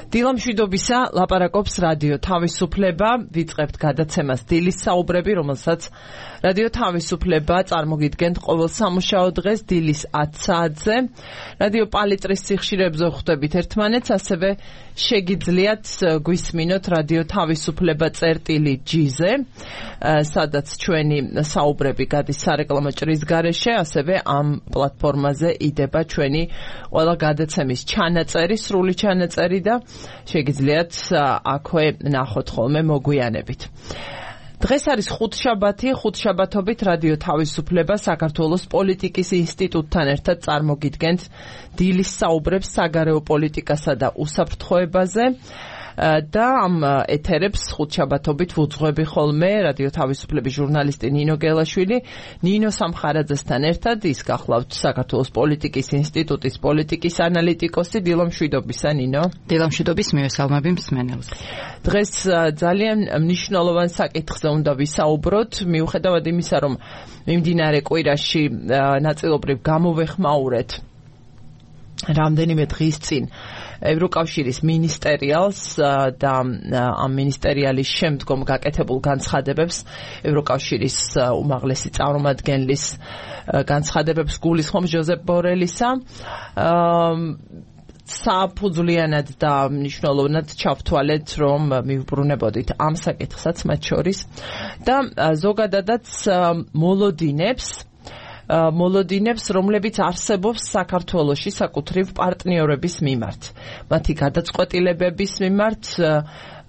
დილამშვიდობისა ლაპარაკობს რადიო თავისუფლება, ვიწყებთ გადაცემას დილის საუბრები, რომელსაც რადიო თავისუფლება წარმოგიდგენთ ყოველ სამუშაო დღეს დილის 10 საათზე. რადიო პალიტრის სიხშირეებზე ხვდებით ერთმანეთს, ასევე შეგიძლიათ გვისმინოთ რადიო თავისუფლება წერტილი.gz-ზე, სადაც ჩვენი საუბრები გადის სარეკლამო ჭრის გარეშე, ასევე ამ პლატფორმაზე იდება ჩვენი ყველა გადაცემის ჩანაწერი, სრული ჩანაწერი და შეგიძლიათ აქვე ნახოთ ხოლმე მოგვიანებით. დღეს არის ხუთშაბათობით რადიო თავისუფლება საქართველოს პოლიტიკის ინსტიტუტთან ერთად წარმოგიდგენთ დილის საუბრებს საგარეო პოლიტიკასა და უსაფრთხოებაზე და ამ ეთერებს ხუთშაბათობით ვუძღვები ხოლმე რადიო თავისუფლების ჟურნალისტი ნინო გელაშვილი. ნინო სამხარაძესთან ერთად ის გახლავთ საქართველოს პოლიტიკის ინსტიტუტის პოლიტიკის ანალიტიკოსი. დილამშვიდობისა ნინო. დილამშვიდობის მივესალმები მსმენელს. დღეს ძალიან მნიშვნელოვან საკითხზე უნდა ვისაუბროთ, მიუხედავად იმისა, რომ მიმდინარე კვირაში ნაწილობრივ გამოვეხმაურეთ რამდენიმე დღის წინ ევროკავშირის მინისტერიალს და ამ მინისტერიალის შემდგომ გაკეთებულ განცხადებებს, ევროკავშირის უმაღლესი წარმომადგენლის განცხადებებს გულისხმობს ჟოზეპ ბორელისა. საფუძვლიანად და მნიშვნელოვნად ჩავთვალეთ, რომ მივბრუნებოდით ამ საკითხსაც მათ შორის და ზოგადადაც მოლოდინებს, რომლებიც არსებობს საქართველოში საკუთრივ პარტნიორების მიმართ, მათი გადაწყვეტილებების მიმართ,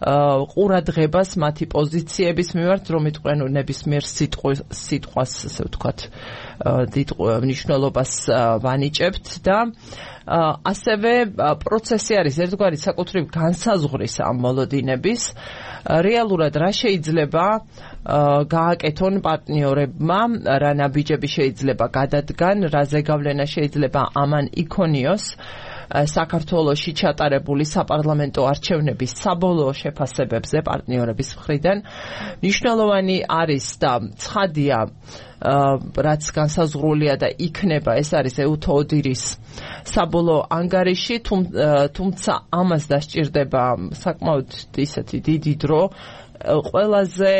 ყურადღებას მათი პოზიციების მიმართ, რომ იტყვენ ნებისმიერ სიტყვას, ასე ვთქვათ, დიდ მნიშვნელობას ვანიჭებთ და ასევე პროცესი არის ერთგვარი საკუთრივ განსაზღვრის ამ მოლოდინების. რეალურად რა შეიძლება გააკეთონ პარტნიორებმა, რა ნაბიჯები შეიძლება გადადგან, რა ზეგავლენა შეიძლება ამან იქონიოს საქართველოში ჩატარებული საპარლამენტო არჩევნების საბოლოო შეფასებებზე პარტნიორების მხრიდან. მნიშვნელოვანი არის და ცხადია, რაც განსაზღვრულია და იქნება, ეს არის ეუთოოდირის საბოლოო ანგარიში, თუმცა ამას დასჭირდება საკმაოდ ისეთი დიდი დრო, ყველაზე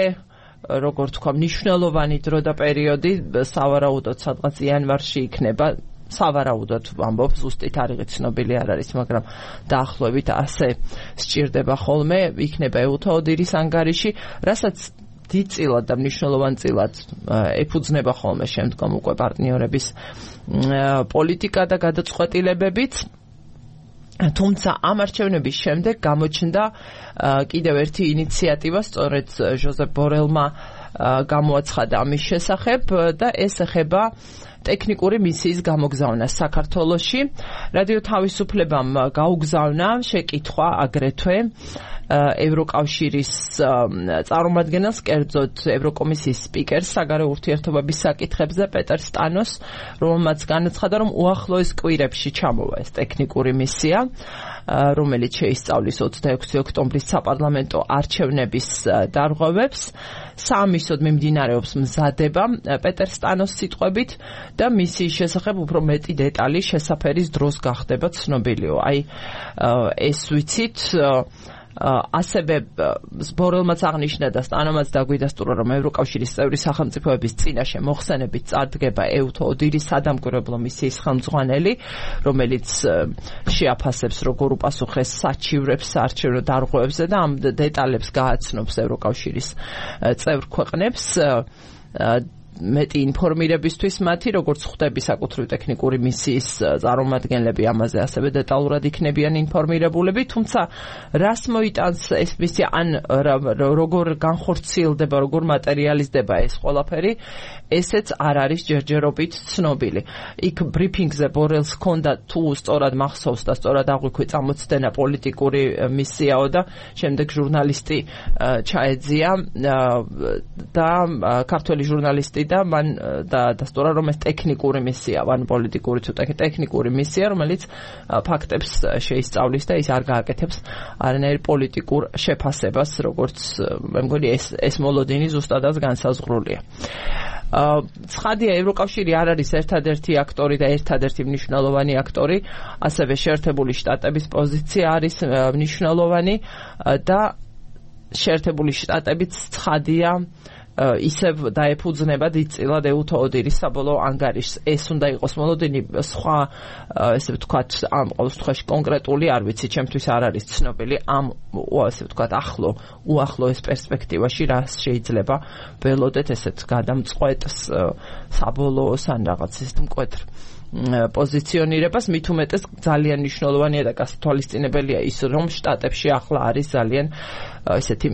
როგორ თქვა, მნიშვნელოვანი დრო და პერიოდი, სავარაუდოდ სადღაც იანვარში იქნება. სავარაუდოდ ვამბობ, ზუსტით არიღი ცნობილი არ არის, მაგრამ დაახლოებით ასე სჭირდება ხოლმე, იქნება ეუთოოდირის ანგარიში, რასაც დიდწილად და მნიშვნელოვან წილად ეფუძნება ხოლმე შემდგომ უკვე პარტნიორების პოლიტიკა და გადაწყვეტილებებიც. თუმცა ამ არჩევნების შემდეგ გამოჩნდა კიდევ ერთი ინიციატივა, სწორედ ჟოზეპ ბორელმა გამოაცხადა ამის შესახებ და ეს ეხება ტექნიკური მისიის გამოგზავნას საქართველოში. რადიო თავისუფლებამ გაუგზავნა შეკითხვა აგრეთვე ევროკავშირის წარმომადგენელს, კერძოდ ევროკომისიის სპიკერს საგარეო ურთიერთობების საკითხებზე პეტერ სტანოს, რომელმაც განაცხადა, რომ უახლოეს კვირებში ჩამოვა ეს ტექნიკური მისია, რომელიც შეისწავლის 26 ოქტომბრის საპარლამენტო არჩევნების დარღვევებს. საამისოდ მიმდინარეობს მზადება პეტერ სტანოს სიტყვებით და მისიის შესახებ უფრო მეტი დეტალი შესაფერის დროს გახდება ცნობილიო. ეს ვიცით, ასევე ბორელმაც აღნიშნა და სტანომაც დაგვიდასტურა, რომ ევროკავშირის წევრი სახელმწიფოების წინაშე მოხსენებით წარდგება ეუთოოდირის სადამკვირვებლო მისიის ხელმძღვანელი, რომელიც შეაფასებს, როგორ უპასუხეს საჩივრებს საარჩევნო დარღვევებზე და ამ დეტალებს გააცნობს ევროკავშირის წევრ ქვეყნებს. მეტი ინფორმირებისთვის მათი, როგორც ხვდები საკუთრივ ტექნიკური მისიის წარმომადგენლები ამაზე ასევე დეტალურად იქნებიან ინფორმირებულები, თუმცა რას მოიტანს ეს მისია, ან როგორ განხორციელდება, როგორ მატერიალიზდება ეს ყველაფერი, ესეც არ არის ჯერჯერობით ცნობილი. იქ ბრიფინგზე ბორელს ჰქონდა თუ სწორად მახსოვს და სწორად აღვიქვი წამოწდენა პოლიტიკური მისიაო და შემდეგ ჟურნალისტი ჩაეძია და ქართველი ჟურნალისტი და მან დასტურა, რომ ეს ტექნიკური მისია, ან პოლიტიკური თუ ტექნიკური მისია, რომელიც ფაქტებს შეისწავლის და ის არ გააკეთებს არანაირ პოლიტიკურ შეფასებას, როგორც მე მგონი ეს მოლოდინი ზუსტადაც განსაზღვრულია. ცხადია ევროკავშირი არ არის ერთადერთი აქტორი და ერთადერთი მნიშვნელოვანი აქტორი, ასევე შეერთებული შტატების პოზიცია არის მნიშვნელოვანი და შეერთებული შტატებიც ცხადია ისევ დაეფუძნება დიდწილად ეუთო ოდირის საბოლოო ანგარიშს. ეს უნდა იყოს მოლოდინი სხვა ესე ვთქვათ ამ ყოველთვის კონკრეტული არ ვიცი, ჩემთვის არ არის ცნობილი ამ ესე ვთქვათ უახლოეს პერსპექტივაში რა შეიძლება ველოდეთ ესეთ გადამწყვეტს საბოლოოს ან რაღაც ის მკვეთრ პოზიციონირებას, მით უმეტეს ძალიან მნიშვნელოვანია და გასათვალისწინებელია ის, რომ შტატებში ახლა არის ძალიან ესეთი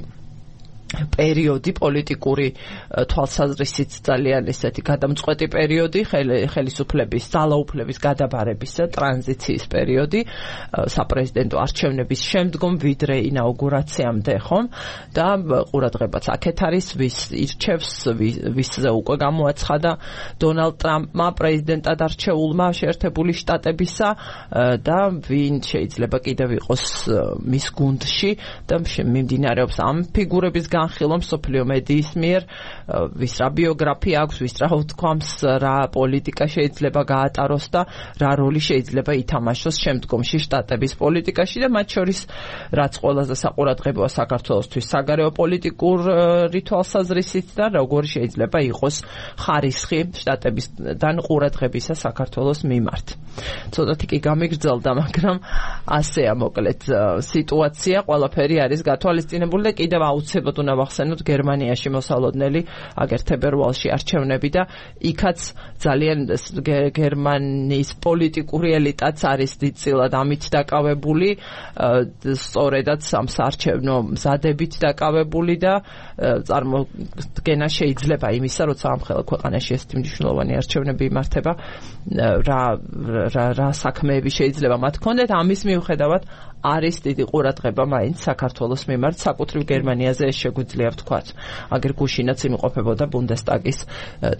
პერიოდი პოლიტიკური თვალსაზრისით ძალიან ესეთი გადამწყვეტი პერიოდი, ხელისუფლების ძალაუფლების გადაბარების და ტრანზიციის პერიოდი საპრეზიდენტო არჩევნების შემდგომ ვიდრე ინაუგურაციამდე, ხომ? და ყურადღებაც აქეთ არის, ვის ირჩევს, ვისზე უკვე გამოაცხადა დონალდ ტრამპმა პრეზიდენტად არჩეულმა შეერთებული შტატებისა და ვინ შეიძლება კიდევ იყოს მის გუნდში და მიმდინარეობს ამ ფიგურების განხილვა მსოფლიო მედიის მიერ, ვის რა ბიოგრაფია აქვს, ვის რა უთქვამს, რა პოლიტიკა შეიძლება გაატაროს და რა როლი შეიძლება ითამაშოს შემდგომში შტატების პოლიტიკაში და მათ შორის რაც ყველაზე საყურადღებოა საქართველოსთვის საგარეო პოლიტიკური თვალსაზრისით და როგორი შეიძლება იყოს ხარისხი შტატებისგან ყურადღებისა საქართველოს მიმართ. ცოტათი კი გამიგრძელდა, მაგრამ ასეა მოკლედ სიტუაცია, ყველაფერი არის გათვალისწინებული და კიდევ აუცილებლად უნდა ვახსენოთ გერმანიაში მოსალოდნელი აგერ თებერვალში არჩევნები და იქაც ძალიან გერმანიის პოლიტიკური ელიტაც არის დიდწილად ამით დაკავებული, სწორედაც ამ საარჩევნო მზადებით დაკავებული და წარმოდგენა შეიძლება იმისა, როცა ამ ქვეყანაში ესეთი მნიშვნელოვანი არჩევნები იმართება, რა საქმეები შეიძლება მათ ჰქონდეთ, ამის მიუხედავად არის დიდი ყურადღება მაინც საქართველოს მიმართ, საკუთრივ გერმანიაზე ეს შეგვიძლია ვთქვათ. აგერ გუშინაც იმყოფებოდა ბუნდესტაგის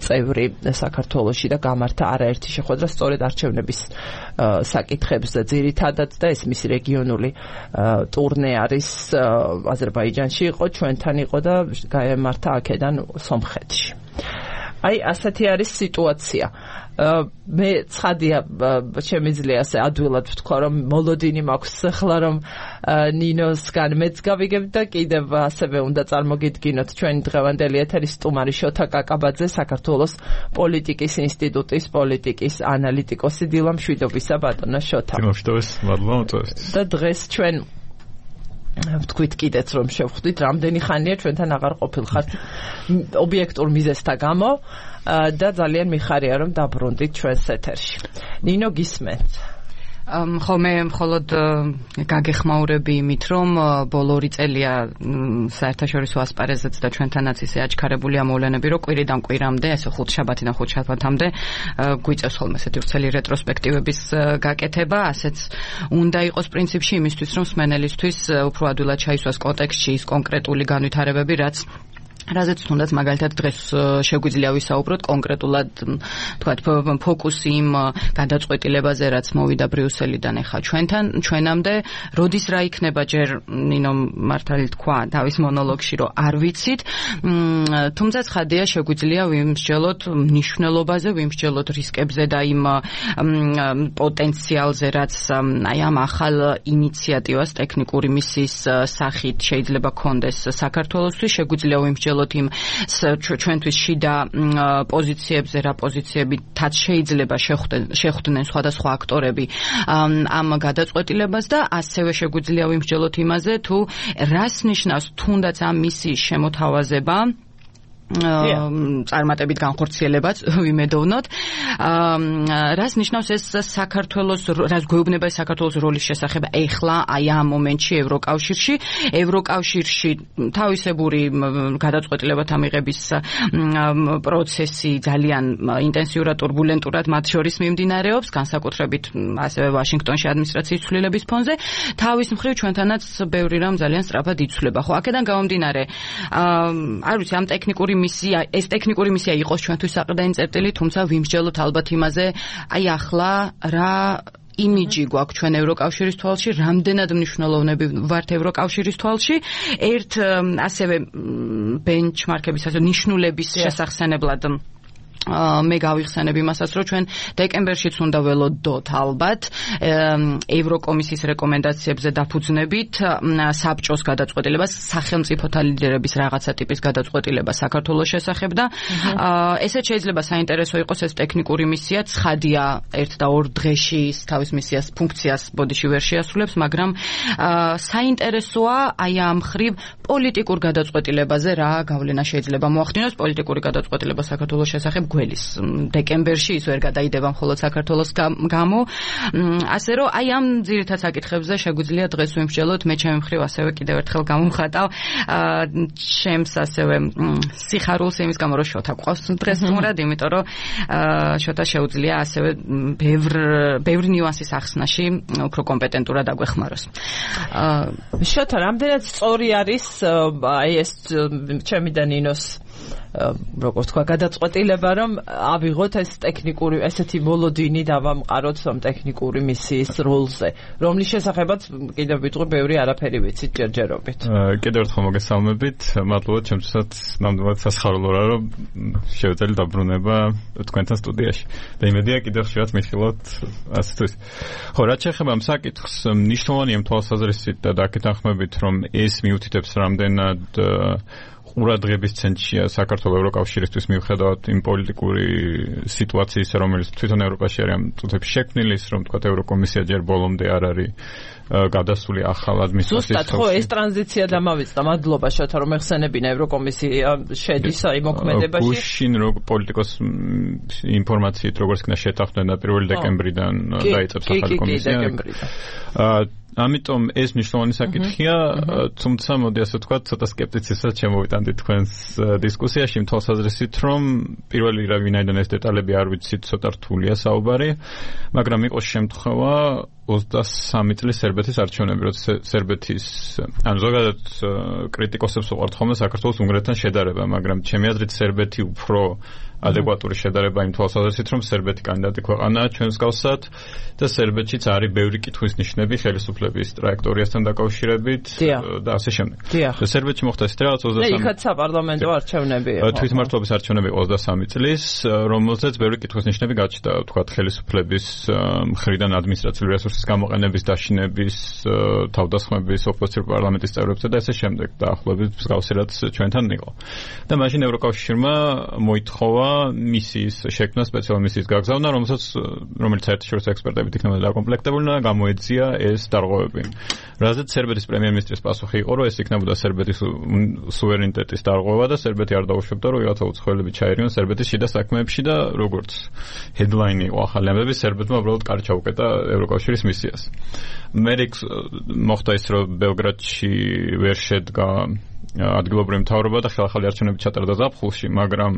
წევრი საქართველოში და გამართა არაერთი შეხვედრა სწორედ არჩევნების საკითხებზე ძირითადად და ეს მისი რეგიონული ტურნე არის აზერბაიჯანში იყო, ჩვენთან იყო და გაემართა აქედან სომხეთში. აი ასეთი არის სიტუაცია. მე ცხადია შემიძლია ასე ადვილად ვთქვა, რომ მოლოდინი მაქვს ახლა რომ ნინოსგან მეც გავიგებ და კიდევ ასევე უნდა წარმოგიდგინოთ ჩვენი დღევანდელი ეთერის სტუმარი შოთა კაკაბაძე, საქართველოს პოლიტიკის ინსტიტუტის პოლიტიკის ანალიტიკოსი. დილა მშვიდობისა ბატონო შოთა. მშვიდობის, მადლობა მოწვევისთვის. და დღეს ჩვენ ვთქვით კიდეც რომ შევხვდით, რამდენი ხანია ჩვენთან აღარ ყოფილხართ ობიექტურ მიზეზთა გამო და ძალიან მიხარია რომ დაბრუნდით ჩვენს ეთერში. ნინო გისმენთ? ხო, მე მხოლოდ გაგეხმაურები იმით, რომ ბოლო 2 წელია საერთაშორისო ასპარეზეც და ჩვენთანაც ისე აჩქარებულია მოვლენები, რომ კვირიდან კვირამდე, ესე ხუთშაბათიდან ხუთშაბათამდე გვიწევს ხოლმე ესეთი ვრცელი რეტროსპექტივების გაკეთება, ასეც უნდა იყოს პრინციპში იმისთვის, რომ მსმენელისთვის უფრო ადვილად ჩაისვას კონტექსტში ის კონკრეტული განვითარებები, რაზეც თუნდაც მაგალითად დღეს შეგვიძლია ვისაუბროთ კონკრეტულად თქვათ ფოკუსი იმ გადაწყვეტილებაზე, რაც მოვიდა ბრიუსელიდან ახლა ჩვენამდე, როდის რა იქნება ჯერ ნინო მართალი თქვა თავის მონოლოგში, რომ არ ვიცით, თუმცა ცხადია შეგვიძლია ვიმსჯელოთ მნიშვნელობაზე, ვიმსჯელოთ რისკებზე და იმ პოტენციალზე, რაც აი ამ ახალ ინიციატივას ტექნიკური მისიის სახით შეიძლება ქონდეს საქართველოსთვის, შეგვიძლია ვიმსჯელოთ იმ ჩვენთვის შიდა პოზიციებზე, რა პოზიციებითაც შეიძლება შეხვდნენ სხვადასხვა აქტორები ამ გადაწყვეტილებას და ასევე შეგვიძლია ვიმსჯელოთ იმაზე, თუ რას ნიშნავს თუნდაც ამ მისიის შემოთავაზება წარმატებით განხორციელებაც ვიმედოვნოთ. რას ნიშნავს ეს საქართველოს, რას გვეუბნება საქართველოს როლის შესახებ ეხლა აი ამ მომენტში ევროკავშირში თავისებური გადაწყვეტილებათა მიღების პროცესი ძალიან ინტენსიურად, турბულენტურად მათ შორის მიმდინარეობს, განსაკუთრებით ასევე ვაშინგტონში ადმინისტრაციის ცვლილების ფონზე. თავის მხრივ ჩვენთანაც ბევრი რამ ძალიან სწრაფად იცვლება. ხო, აქედან გამომდინარე, არ ვიცი, ამ ტექნიკური ეს ტექნიკური მისია იყოს ჩვენთვის საყრდენი წერტილი, თუმცა ვიმსჯელოთ ალბათ იმაზე, აი ახლა რა იმიჯი გვაქვს ჩვენ ევროკავშირის თვალში, რამდენად მნიშვნელოვნები ვართ ევროკავშირის თვალში, ერთ ასევე ბენჩმარკების, ასე ნიშნულების შესახსენებლად მე გავიხსენებ იმასაც, რომ ჩვენ დეკემბერშიც უნდა ველოდოთ ალბათ ევროკომისიის რეკომენდაციებზე დაფუძნებით საბჭოს გადაწყვეტილებას, სახელმწიფოთა ლიდერების რაღაცა ტიპის გადაწყვეტილებას საქართველოს შესახებ და ესეც შეიძლება საინტერესო იყოს ეს ტექნიკური მისია, ცხადია 1 და 2 დღეში თავის მისიას ფუნქციას ბოდიში ვერ შეასრულებს, მაგრამ საინტერესოა აი ამ ხრივ პოლიტიკურ გადაწყვეტილებაზე რა გავლენა შეიძლება მოახდინოს პოლიტიკური გადაწყვეტილება საქართველოს შესახებ გველის დეკემბერში ის ვერ გადაიდება მხოლოდ საქართველოს გამო, ასე რომ აი ამ ძირითად საკითხებზე შეგვიძლია დღეს ვიმსჯელოთ. მე ჩემი მხრივ ასევე კიდევ ერთხელ გამოვხატავ ჩემს ასევე სიხარულს იმის გამო რომ შოთა გვყავს დღეს სტუმრად, იმიტომ რომ შოთა შეუძლია ასევე ბევრი ნიუანსის ახსნაში უფრო კომპეტენტურად აგვეხმაროს. შოთა, რამდენად სწორი არის აი ეს ჩემი და ნინოს როგორც თქვა გადაწყვეტილება, რომ ავიღოთ ეს ტექნიკური ესეთი მოლოდინი დავამყაროთ ამ ტექნიკური მისიის როლზე, რომლის შესახებაც კიდევ ვიტყვი ბევრი არაფერი ვიცით ჯერჯერობით. კიდევ ერთხელ მოგესალმებით, მადლობა ჩემთვისაც ნამდვილად სასიხარულოა, რომ შევეძლე დაბრუნება თქვენთან სტუდიაში. და იმედია კიდევ ხშირად მიხილოთ ასთვის. ხო, რაც შეეხება ამ საკითხს, მნიშვნელოვანია თვალსაზრისით და დაკითხებით, რომ ეს მიუთითებს რამდენად ყურადღების ცენტრშია საქართველოს ევროკავშირისთვის მიუხედავად იმ პოლიტიკური სიტუაციის, რომელიც თვითონ ევროპაში არის ამ წუთებში შექმნილი, რომ თქვა ევროკომისია ჯერ ბოლომდე არ არის გადასული ახალ ადმინისტრაციის. ზუსტად ხო ეს ტრანზიცია დამავიწყდა. მადლობა შოთა რომ ეხსენებინა ევროკომისია შედის აი მოქმედებაში. გუშინ პოლიტიკოს ინფორმაციით როგორც იქნა შეთანხმდა 1 დეკემბრიდან დაიწყებს ახალი კომისია. ამიტომ ეს მნიშვნელოვანი საკითხია, თუმცა მოდი ასე ვთქვათ, ცოტა სკეპტიციზმსაც შემოვიტანდი თქვენს დისკუსიაში, თვალსაზრისით, რომ პირველი რა ვინაიდან ეს დეტალები არ ვიცით, ცოტა რთულია საუბარი, მაგრამ იყოს შემთხვევა 23 წლის სერბეთის არჩევნები, როცა სერბეთის ანუ ზოგადად კრიტიკოსებს უყვართ ხოლმე საქართველოს უნგრეთთან შედარება, მაგრამ ჩემი აზრით სერბეთი უფრო ადეკვატური შედარება იმ თვალსაზრისით, რომ სერბეთი კანდიდატი ქვეყანაა ჩვენს გავსად და სერბეთშიც არის ბევრი კითხვის ნიშნები ხელისუფლების ტრაექტორიასთან დაკავშირებით და ასე შემდეგ. და სერბეთში მოხდა ეს რაღაც 23 იქაც საპარლამენტო არჩევნები იყო. თვითმმართველობის არჩევნები 23 წლის, რომელზეც ბევრი კითხვის ნიშნები გაჩნდა, თქვათ ხელისუფლების მხრიდან ადმინისტრაციული რესურსის გამოყენების, დაშინების, თავდასხმების, ოპოზიციურ პარლამენტის წევრებზე და ასე შემდეგ. დაახლოებით მსგავსი რაც ჩვენთან იყო. და მაშინ ევროკავშირმა მოითხოვა მისიის შექმნა, სპეციალური მისიის გაგზავნა, რომელიც საერთაშორისო ექსპერტებით იქნება დაკომპლექტებული და გამოეძია ეს დარღვევები. რაზეც სერბეთის პრემიერ-მინისტრის პასუხი იყო, რომ ეს იქნებოდა სერბეთის სუვერენიტეტის დარღვევა და სერბეთი არ დაუშვებდა, რომ ვიღაცა უცხოელები ჩაერიონ სერბეთის შიდა საქმეებში და როგორც ჰედლაინი იყო ახალი ამბები, სერბეთმა უბრალოდ კარი ჩაუკეტა ევროკავშირის მისიას. მერე მოხდა ის, რომ ბელგრადში ვერ შედგა ადგილობრივი მთავრობა და ხელახალი არჩევნები ჩატარდა ზაფხულში, მაგრამ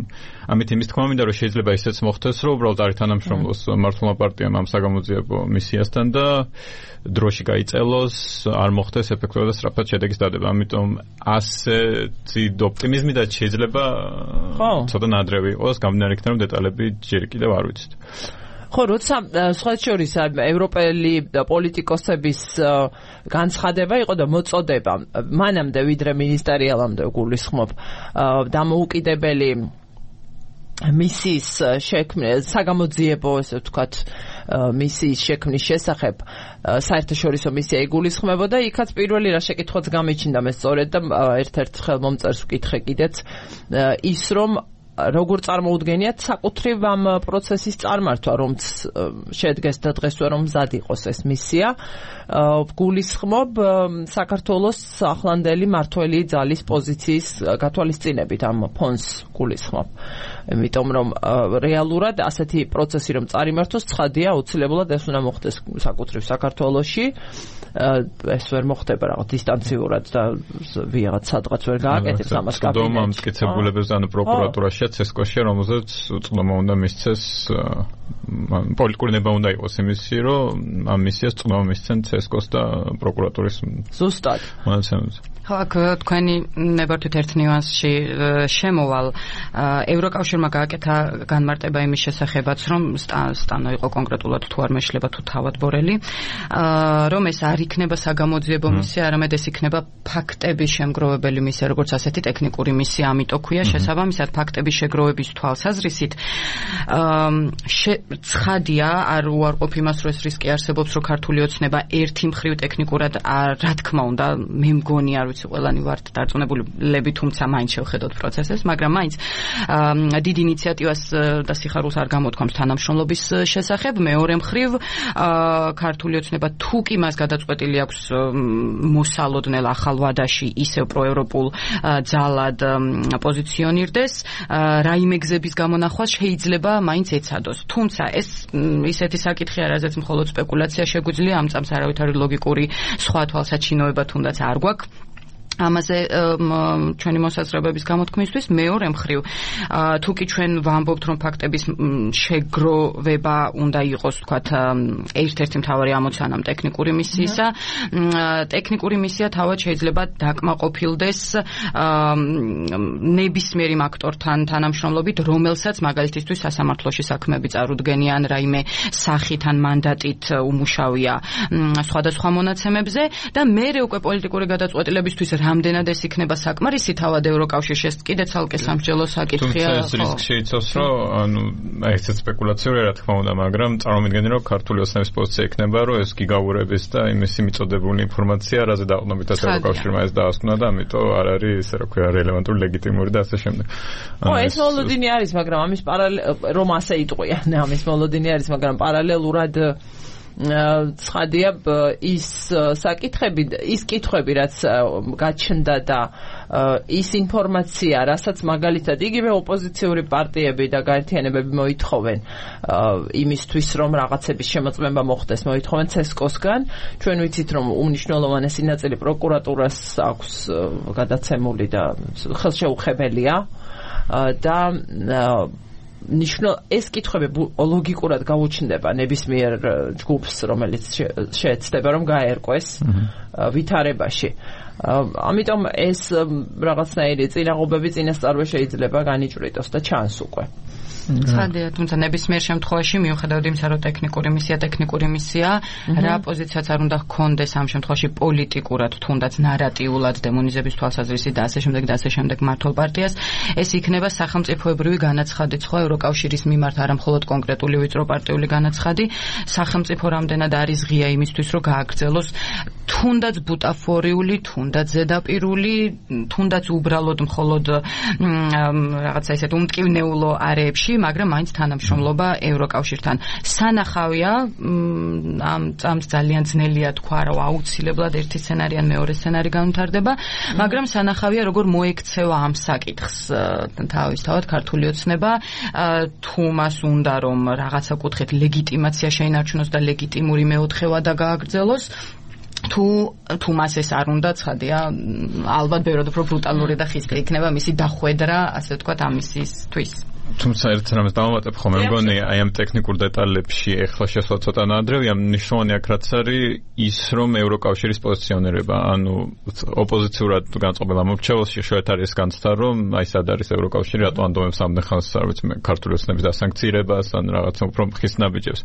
ამით იმის თქმა მინდა, რომ შეიძლება ისეც მოხდეს, რომ უბრალოდ არ თანამშრომლოს მართლმა პარტიამ ამ საგამოძიებო მისიასთან და დროში გაიწელოს, არ მოხდეს ეფექტურად და სწრაფად შედეგის დადება. ამიტომ ასეთი ოპტიმიზმი და შეიძლება ცოტა ნადრევი იყოს, გამდინარე იქიდან, რომ დეტალები ჯერ კიდევ არ ვიცით. ხო, როცა სხვა შორის ევროპელი პოლიტიკოსების განცხადება იყო და მოწოდება მანამდე ვიდრე მინისტერიალამდე გულისხმობ დამოუკიდებელი მისიის შექმნა, საგამოძიებო, ესე ვთქვათ, მისიის შექმნის შესახებ საერთაშორისო მისია იგულისხმებოდა, იქაც პირველი რა შეკითხვაც გამიჩნდა მე სწორედ და ერთ-ერთ ხელმომწერს ვკითხე კიდეც ის, რომ როგორ წარმოუდგენიათ საკუთრივ ამ პროცესის წარმართვა, რომც შედგეს და დღესვე რომ მზად იყოს ეს მისია. გულისხმობ საქართველოს ახლანდელი მართველი ძალის პოზიციის გათვალისწინებით ამ ფონს გულისხმობ. იმიტომ რომ რეალურად ასეთი პროცესი რომ წარიმართოს, ცხადია აუცილებლად ეს უნდა მოხდეს საკუთრივ საქართველოში. ეს ვერ მოხდება რაღაც დისტანციურად და ვიღაც სადღაც ვერ გააკეთებს ამას კაბინეტში. დომა მტკიცებულებებს ან პროკურატურაში ცესკოში, რომელზეც უწყლობა უნდა მისცეს, პოლიტიკური ნება უნდა იყოს იმისი, რომ ამ მისიას წყლობა მისცენ ცესკოს და პროკურატურის ზუსტად. მონაცემებზე. ხო, აქ თქვენი ნებართვით ერთ ნიუანსში შემოვალ. ევროკავშირმა გააკეთა განმარტება იმის შესახებაც, რომ სტანო იყო კონკრეტულად თუ არ მეშლება თუ თავად ბორელი, რომ ეს არ იქნება საგამოძიებო მისია, არამედ ეს იქნება ფაქტების შემგროვებელი მისია, როგორც ასეთი ტექნიკური მისია, ამიტომ ქვია შესაბამისად ფაქტების შეგროვების თვალსაზრისით. ცხადია, არ უარყოფ იმას, რომ ეს რისკი არსებობს, რომ ქართული ოცნება ერთი მხრივ ტექნიკურად რა თქმა უნდა, მე მგონი არ ვიცი ყველანი ვართ დარწმუნებულები, თუმცა მაინც შევხედოთ პროცესებს, მაგრამ მაინც დიდ ინიციატივას და სიხარულს არ გამოთქვამს თანამშრომლობის შესახებ. მეორე მხრივ ქართული ოცნება თუ კი მას გადაწყვეტილი აქვს მოსალოდნელ ახალ ვადაში ისევ პროევროპულ ძალად პოზიციონირდეს, რაიმე გზების გამონახვას შეიძლება მაინც ეცადოს. თუმცა ეს ისეთი საკითხია, რაზეც მხოლოდ სპეკულაცია შეგვიძლია, ამ წამს არავითარი ლოგიკური სხვა თვალსაჩინოება თუნდაც არ გვაქვს ამაზე ჩვენი მოსაზრებების გამოთქმისთვის. მეორე მხრივ, თუ კი ჩვენ ვამბობთ, რომ ფაქტების შეგროვება უნდა იყოს, თქვათ, ერთ-ერთი მთავარი ამოცანა ტექნიკური მისიისა, ტექნიკური მისია თავად შეიძლება დაკმაყოფილდეს ნებისმიერ იმ აქტორთან თანამშრომლობით, რომელსაც მაგალითისთვის სასამართლოში საქმეები წარუდგენიან, რაიმე სახით ან მანდატით უმუშავია სხვადასხვა მონაცემებზე და მერე უკვე პოლიტიკური გადაწყვეტილებისთვის რამდენად ეს იქნება საკმარისი თავად ევროკავშირში, ეს კიდე ცალკე სამსჯელო საკითხია. თუმცა ეს რისკი შეიცავს, რომ ესეც სპეკულაციურია, რა თქმა უნდა, მაგრამ წარმოვიდგინე, რომ ქართული ოცნების პოზიცია იქნება, რომ ეს გიგაურების და იმისი მიწოდებული ინფორმაცია, რაზე დაყრდნობით ევროკავშირმა ეს დაასკვნა და ამიტომ არ არის, ესე რა ქვია, რელევანტური, ლეგიტიმური და ასე შემდეგ. ეს მოლოდინი არის, მაგრამ ამის რომ ასე იტყვიან, ამის მოლოდინი არის, მაგრამ პარალელურად ცხადია ის საკითხები, ის კითხვები, რაც გაჩნდა და ის ინფორმაცია, რასაც მაგალითად იგივე ოპოზიციური პარტიები და გაერთიანებები მოითხოვენ იმისთვის, რომ რაღაცების შემოწმება მოხდეს, მოითხოვენ ცესკოსგან. ჩვენ ვიცით, რომ უმნიშვნელოვანესი ნაწილი პროკურატურას აქვს გადაცემული და ხელშეუხებელია და ეს კითხვები ლოგიკურად გაუჩნდება ნებისმიერ ჯგუფს, რომელიც შეეცდება, რომ გაერკვეს ვითარებაში. ამიტომ ეს რაღაცნაირი წინაღობები წინასწარვე შეიძლება განიჭვრიტოს და ჩანს უკვე. ცხადია, თუმცა ნებისმიერ შემთხვევაში მიუხედავად იმისა, რომ ტექნიკური მისია, რა პოზიციაც არ უნდა ჰქონდეს ამ შემთხვევაში პოლიტიკურად, თუნდაც ნარატიულად დემონიზების თვალსაზრისით და ასე შემდეგ მმართველ პარტიას, ეს იქნება სახელმწიფოებრივი განაცხადი სხვა ევროკავშირის მიმართ, არა მხოლოდ კონკრეტული ვიწრო პარტიული განაცხადი, სახელმწიფო რამდენად არის ღია იმისთვის, რომ გააგრძელოს თუნდაც ბუტაფორიული, თუნდაც ზედაპირული, თუნდაც უბრალოდ მხოლოდ რაღაცა ისეთ უმტკივნეულო არეებში, მაგრამ მაინც თანამშრომლობა ევროკავშირთან. სანახავია, ამ წამს ძალიან ძნელია თქვა, რომ აუცილებლად ერთი სცენარი ან მეორე სცენარი განვითარდება, მაგრამ სანახავია, როგორ მოექცევა ამ საკითხს თავისთავად ქართული ოცნება, თუ მას უნდა რომ რაღაცა კუთხით ლეგიტიმაცია შეინარჩუნოს და ლეგიტიმური მეოთხევა და გააგრძელოს, თუ მას ეს არ უნდა, ცხადია, ალბათ ბევრად უფრო ბრუტალური და ხისტი იქნება მისი დახვედრა, ასე ვთქვათ, ამისისთვის. თუმცა ერთ რამეს დავამატებ ხომ, მე მგონი აი ამ ტექნიკურ დეტალებში ეხლა შესვლა ცოტა ნადრევია, მნიშვნელოვანი აქ რაც არის ის, რომ ევროკავშირის პოზიციონირება, ანუ ოპოზიციურად განწყობილ მომრჩეველში შევეთ არის განცდა, რომ აი სად არის ევროკავშირი, რატო ანდომებს ამდენ ხანს, არ ვიცი, ქართული ოცნების დასანქცირებას ან რაღაცა უფრო ხის ნაბიჯებს.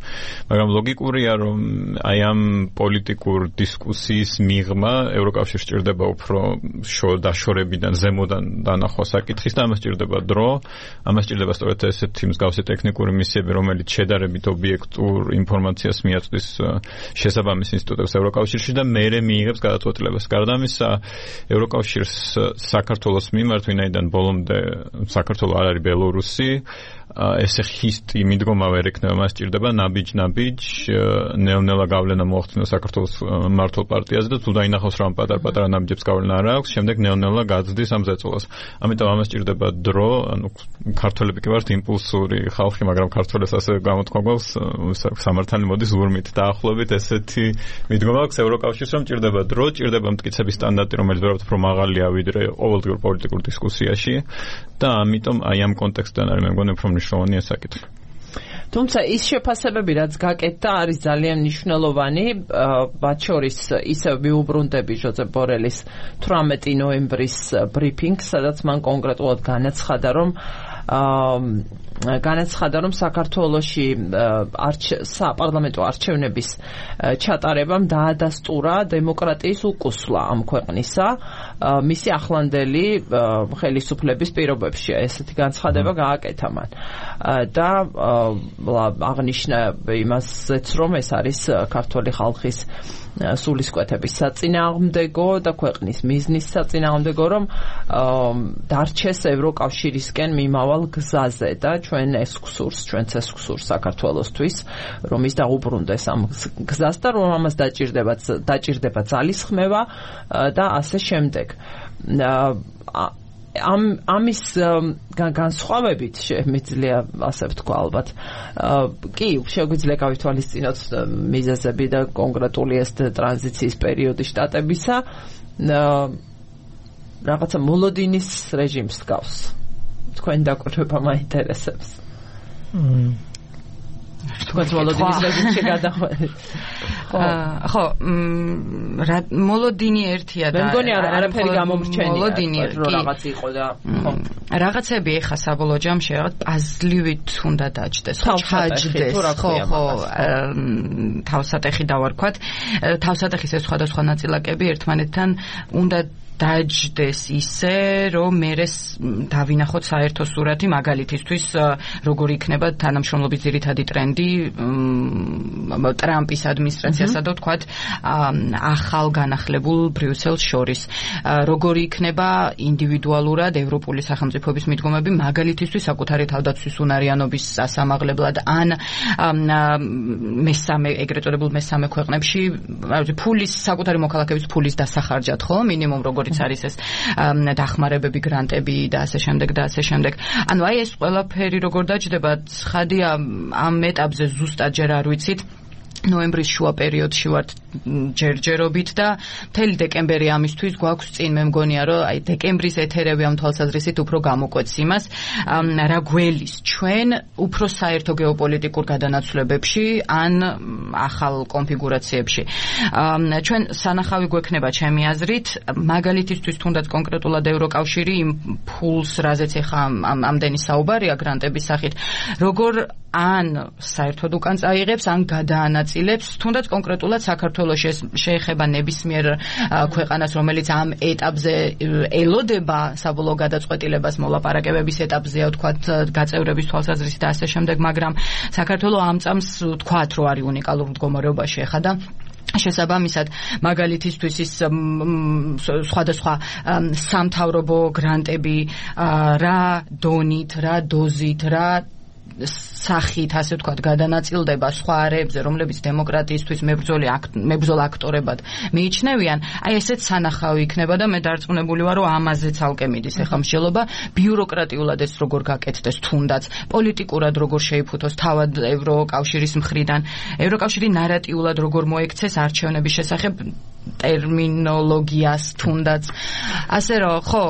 მაგრამ ლოგიკურია, რომ აი ამ პოლიტიკურ დისკუსიის მიღმა ევროკავშირს სჭირდება უფრო დაშორებიდან, ზემოდან დანახვა საკითხის და ამას სჭირდება დრო, ამას სჭირდება სწორედ ესეთი მსგავსი ტექნიკური მისიები, რომელიც შედარებით ობიექტურ ინფორმაციას მიაწვდის შესაბამის ინსტიტუტებს ევროკავშირში და მერე მიიღებს გადაწყვეტილებას. გარდა ამისა, ევროკავშირს საქართველოს მიმართ, ვინაიდან ბოლომდე საქართველო არ არის ბელორუსი, ესე ხისტი მიდგომა ვერ ექნება, მას სჭირდება ნაბიჯ ნელ-ნელა გავლენა მოახდინოს საქართველოს მმართველ პარტიაზე და თუ დაინახავს რომ პატარ-პატარა ნაბიჯებს გავლენა არ აქვს, შემდეგ ნელ-ნელა გაძდის ამ ზეწოლას. ამიტომ ამას სჭირდება დრო, ანუ ქართველები კი ვართ იმპულსური ხალხი, მაგრამ ქართველებს ასე გამოთქვა გვაქვს სამართალი მოდის ურმით დაახლოებით ესეთი მიდგომა აქვს ევროკავშირს, რომ სჭირდება დრო, სჭირდება მტკიცების სტანდარტი, რომელიც ვერავთ უფრო მაღალია ვიდრე ყოველდღიურ პოლიტიკურ დისკუსიაში და ამიტომ აი ამ კონტექსტიდან არის მე მგონი უფრო მნიშვნელოვანია საკითხი. თუმცა ის შეფასებები რაც გაკეთდა არის ძალიან მნიშვნელოვანი, მათ შორის ისევ მიუბრუნდები ჟოზეფ ბორელის 18 ნოემბრის ბრიფინგს, სადაც მან კონკრეტულად განაცხადა, რომ საქართველოში საპარლამენტო არჩევნების ჩატარებამ დაადასტურა დემოკრატიის უკუსვლა ამ ქვეყნისა მისი ახლანდელი ხელისუფლების პირობებში. ესეთი განცხადება გააკეთა მან და აღნიშნა იმასეც, რომ ეს არის ქართული ხალხის სულისკვეთების საწინააღმდეგო და ქვეყნის მიზნის საწინააღმდეგო, რომ დარჩეს ევროკავშირისკენ მიმავალ გზაზე და ჩვენც გსურს საქართველოსთვის, რომ ის დაუბრუნდეს ამ გზას და რომ ამას დაჭირდება ძალისხმევა და ასე შემდეგ. ამის განსხვავებით შემიძლია ასე ვთქვა ალბათ. კი, შეგვიძლია გავითვალისწინოთ მიზეზები და კონკრეტული ეს ტრანზიციის პერიოდი შტატებისა რაღაცა მოლოდინის რეჟიმს გავს. თქვენ დაკვირვება მაინტერესებს. თქვენ მოლოდინის რეჟიმში გადახვედით. ხო, მოლოდინი ერთია და მე მგონი არაფერი გამომრჩენია. მოლოდინი რაღაც იყო და ხო. რაღაცები ეხა საბოლოო ჯამში რაღაც პაზლივით უნდა დაჯდეს, ხო, ჩაჯდეს, ხო, თავსატეხი დავარქვათ. თავსატეხის ეს სხვადასხვა ნაწილაკები ერთმანეთთან უნდა დაჯდეს ისე, რომ მერეს დავინახოთ საერთო სურათი, მაგალითისთვის როგორი იქნება თანამშრომლობის ძირითადი ტრენდი ტრამპის ადმინისტრაციასა და ვთქვათ ახალ განახლებულ ბრიუსელს შორის. როგორი იქნება ინდივიდუალურად ევროპული სახელმწიფოების მიდგომები, მაგალითისთვის საკუთარი თავდაცვის უნარიანობის სასამაღლებლად ან ეგრეთ წოდებულ მესამე ქვეყნებში ფულის საკუთარი მოქალაქეების ფულის დასახარჯად, ხო, მინიმუმ როგორიც არის ეს დახმარებები, გრანტები და ასე შემდეგ და ასე შემდეგ. ანუ აი ეს ყველაფერი როგორ დაჯდება, ცხადია ამ ეტაპზე ზუსტად ჯერ არ ვიცით. ნოემბრის შუა პერიოდში ვართ ჯერჯერობით და მთელი დეკემბერი ამისთვის გვაქვს წინ. მე მგონია, რომ აი დეკემბრის ეთერები ამ თვალსაზრისით უფრო გამოკვეთს იმას, რა გველის ჩვენ უფრო საერთო გეოპოლიტიკურ გადანაცვლებებში ან ახალ კონფიგურაციებში. ჩვენ სანახავი გვექნება ჩემი აზრით, მაგალითისთვის თუნდაც კონკრეტულად ევროკავშირი იმ ფულს, რაზეც ეხა ამდენი საუბარია გრანტების სახით, როგორ ან საერთოდ უკან წაიღებს, ან გადაანაწილებს, თუნდაც კონკრეტულად საქართველოში ეს შეეხება ნებისმიერ ქვეყანას, რომელიც ამ ეტაპზე ელოდება საბოლოო გადაწყვეტილებას მოლაპარაკებების ეტაპზეა, ვთქვათ, გაწევრების თვალსაზრისით და ასე შემდეგ, მაგრამ საქართველო ამ წამს ვთქვათ, რომ არის უნიკალურ მდგომარეობაში ახლა და შესაბამისად მაგალითისთვის ის სხვადასხვა სამთავრობო გრანტები რა დონით, რა დოზით, რა სახით, ასე ვთქვათ, გადანაწილდება სხვა არეებზე, რომლებიც დემოკრატიისთვის მებრძოლ აქტორებად მიიჩნევიან, აი ესეც სანახავი იქნება და მე დარწმუნებული ვარ, რომ ამაზე ცალკე მიდის ეხლა მსჯელობა, ბიუროკრატიულად ეს როგორ გაკეთდეს, თუნდაც პოლიტიკურად როგორ შეიფუთოს თავად ევროკავშირის მხრიდან, ევროკავშირი ნარატიულად როგორ მოექცეს არჩევნების შესახებ ტერმინოლოგიას, თუნდაც ასე რომ ხო,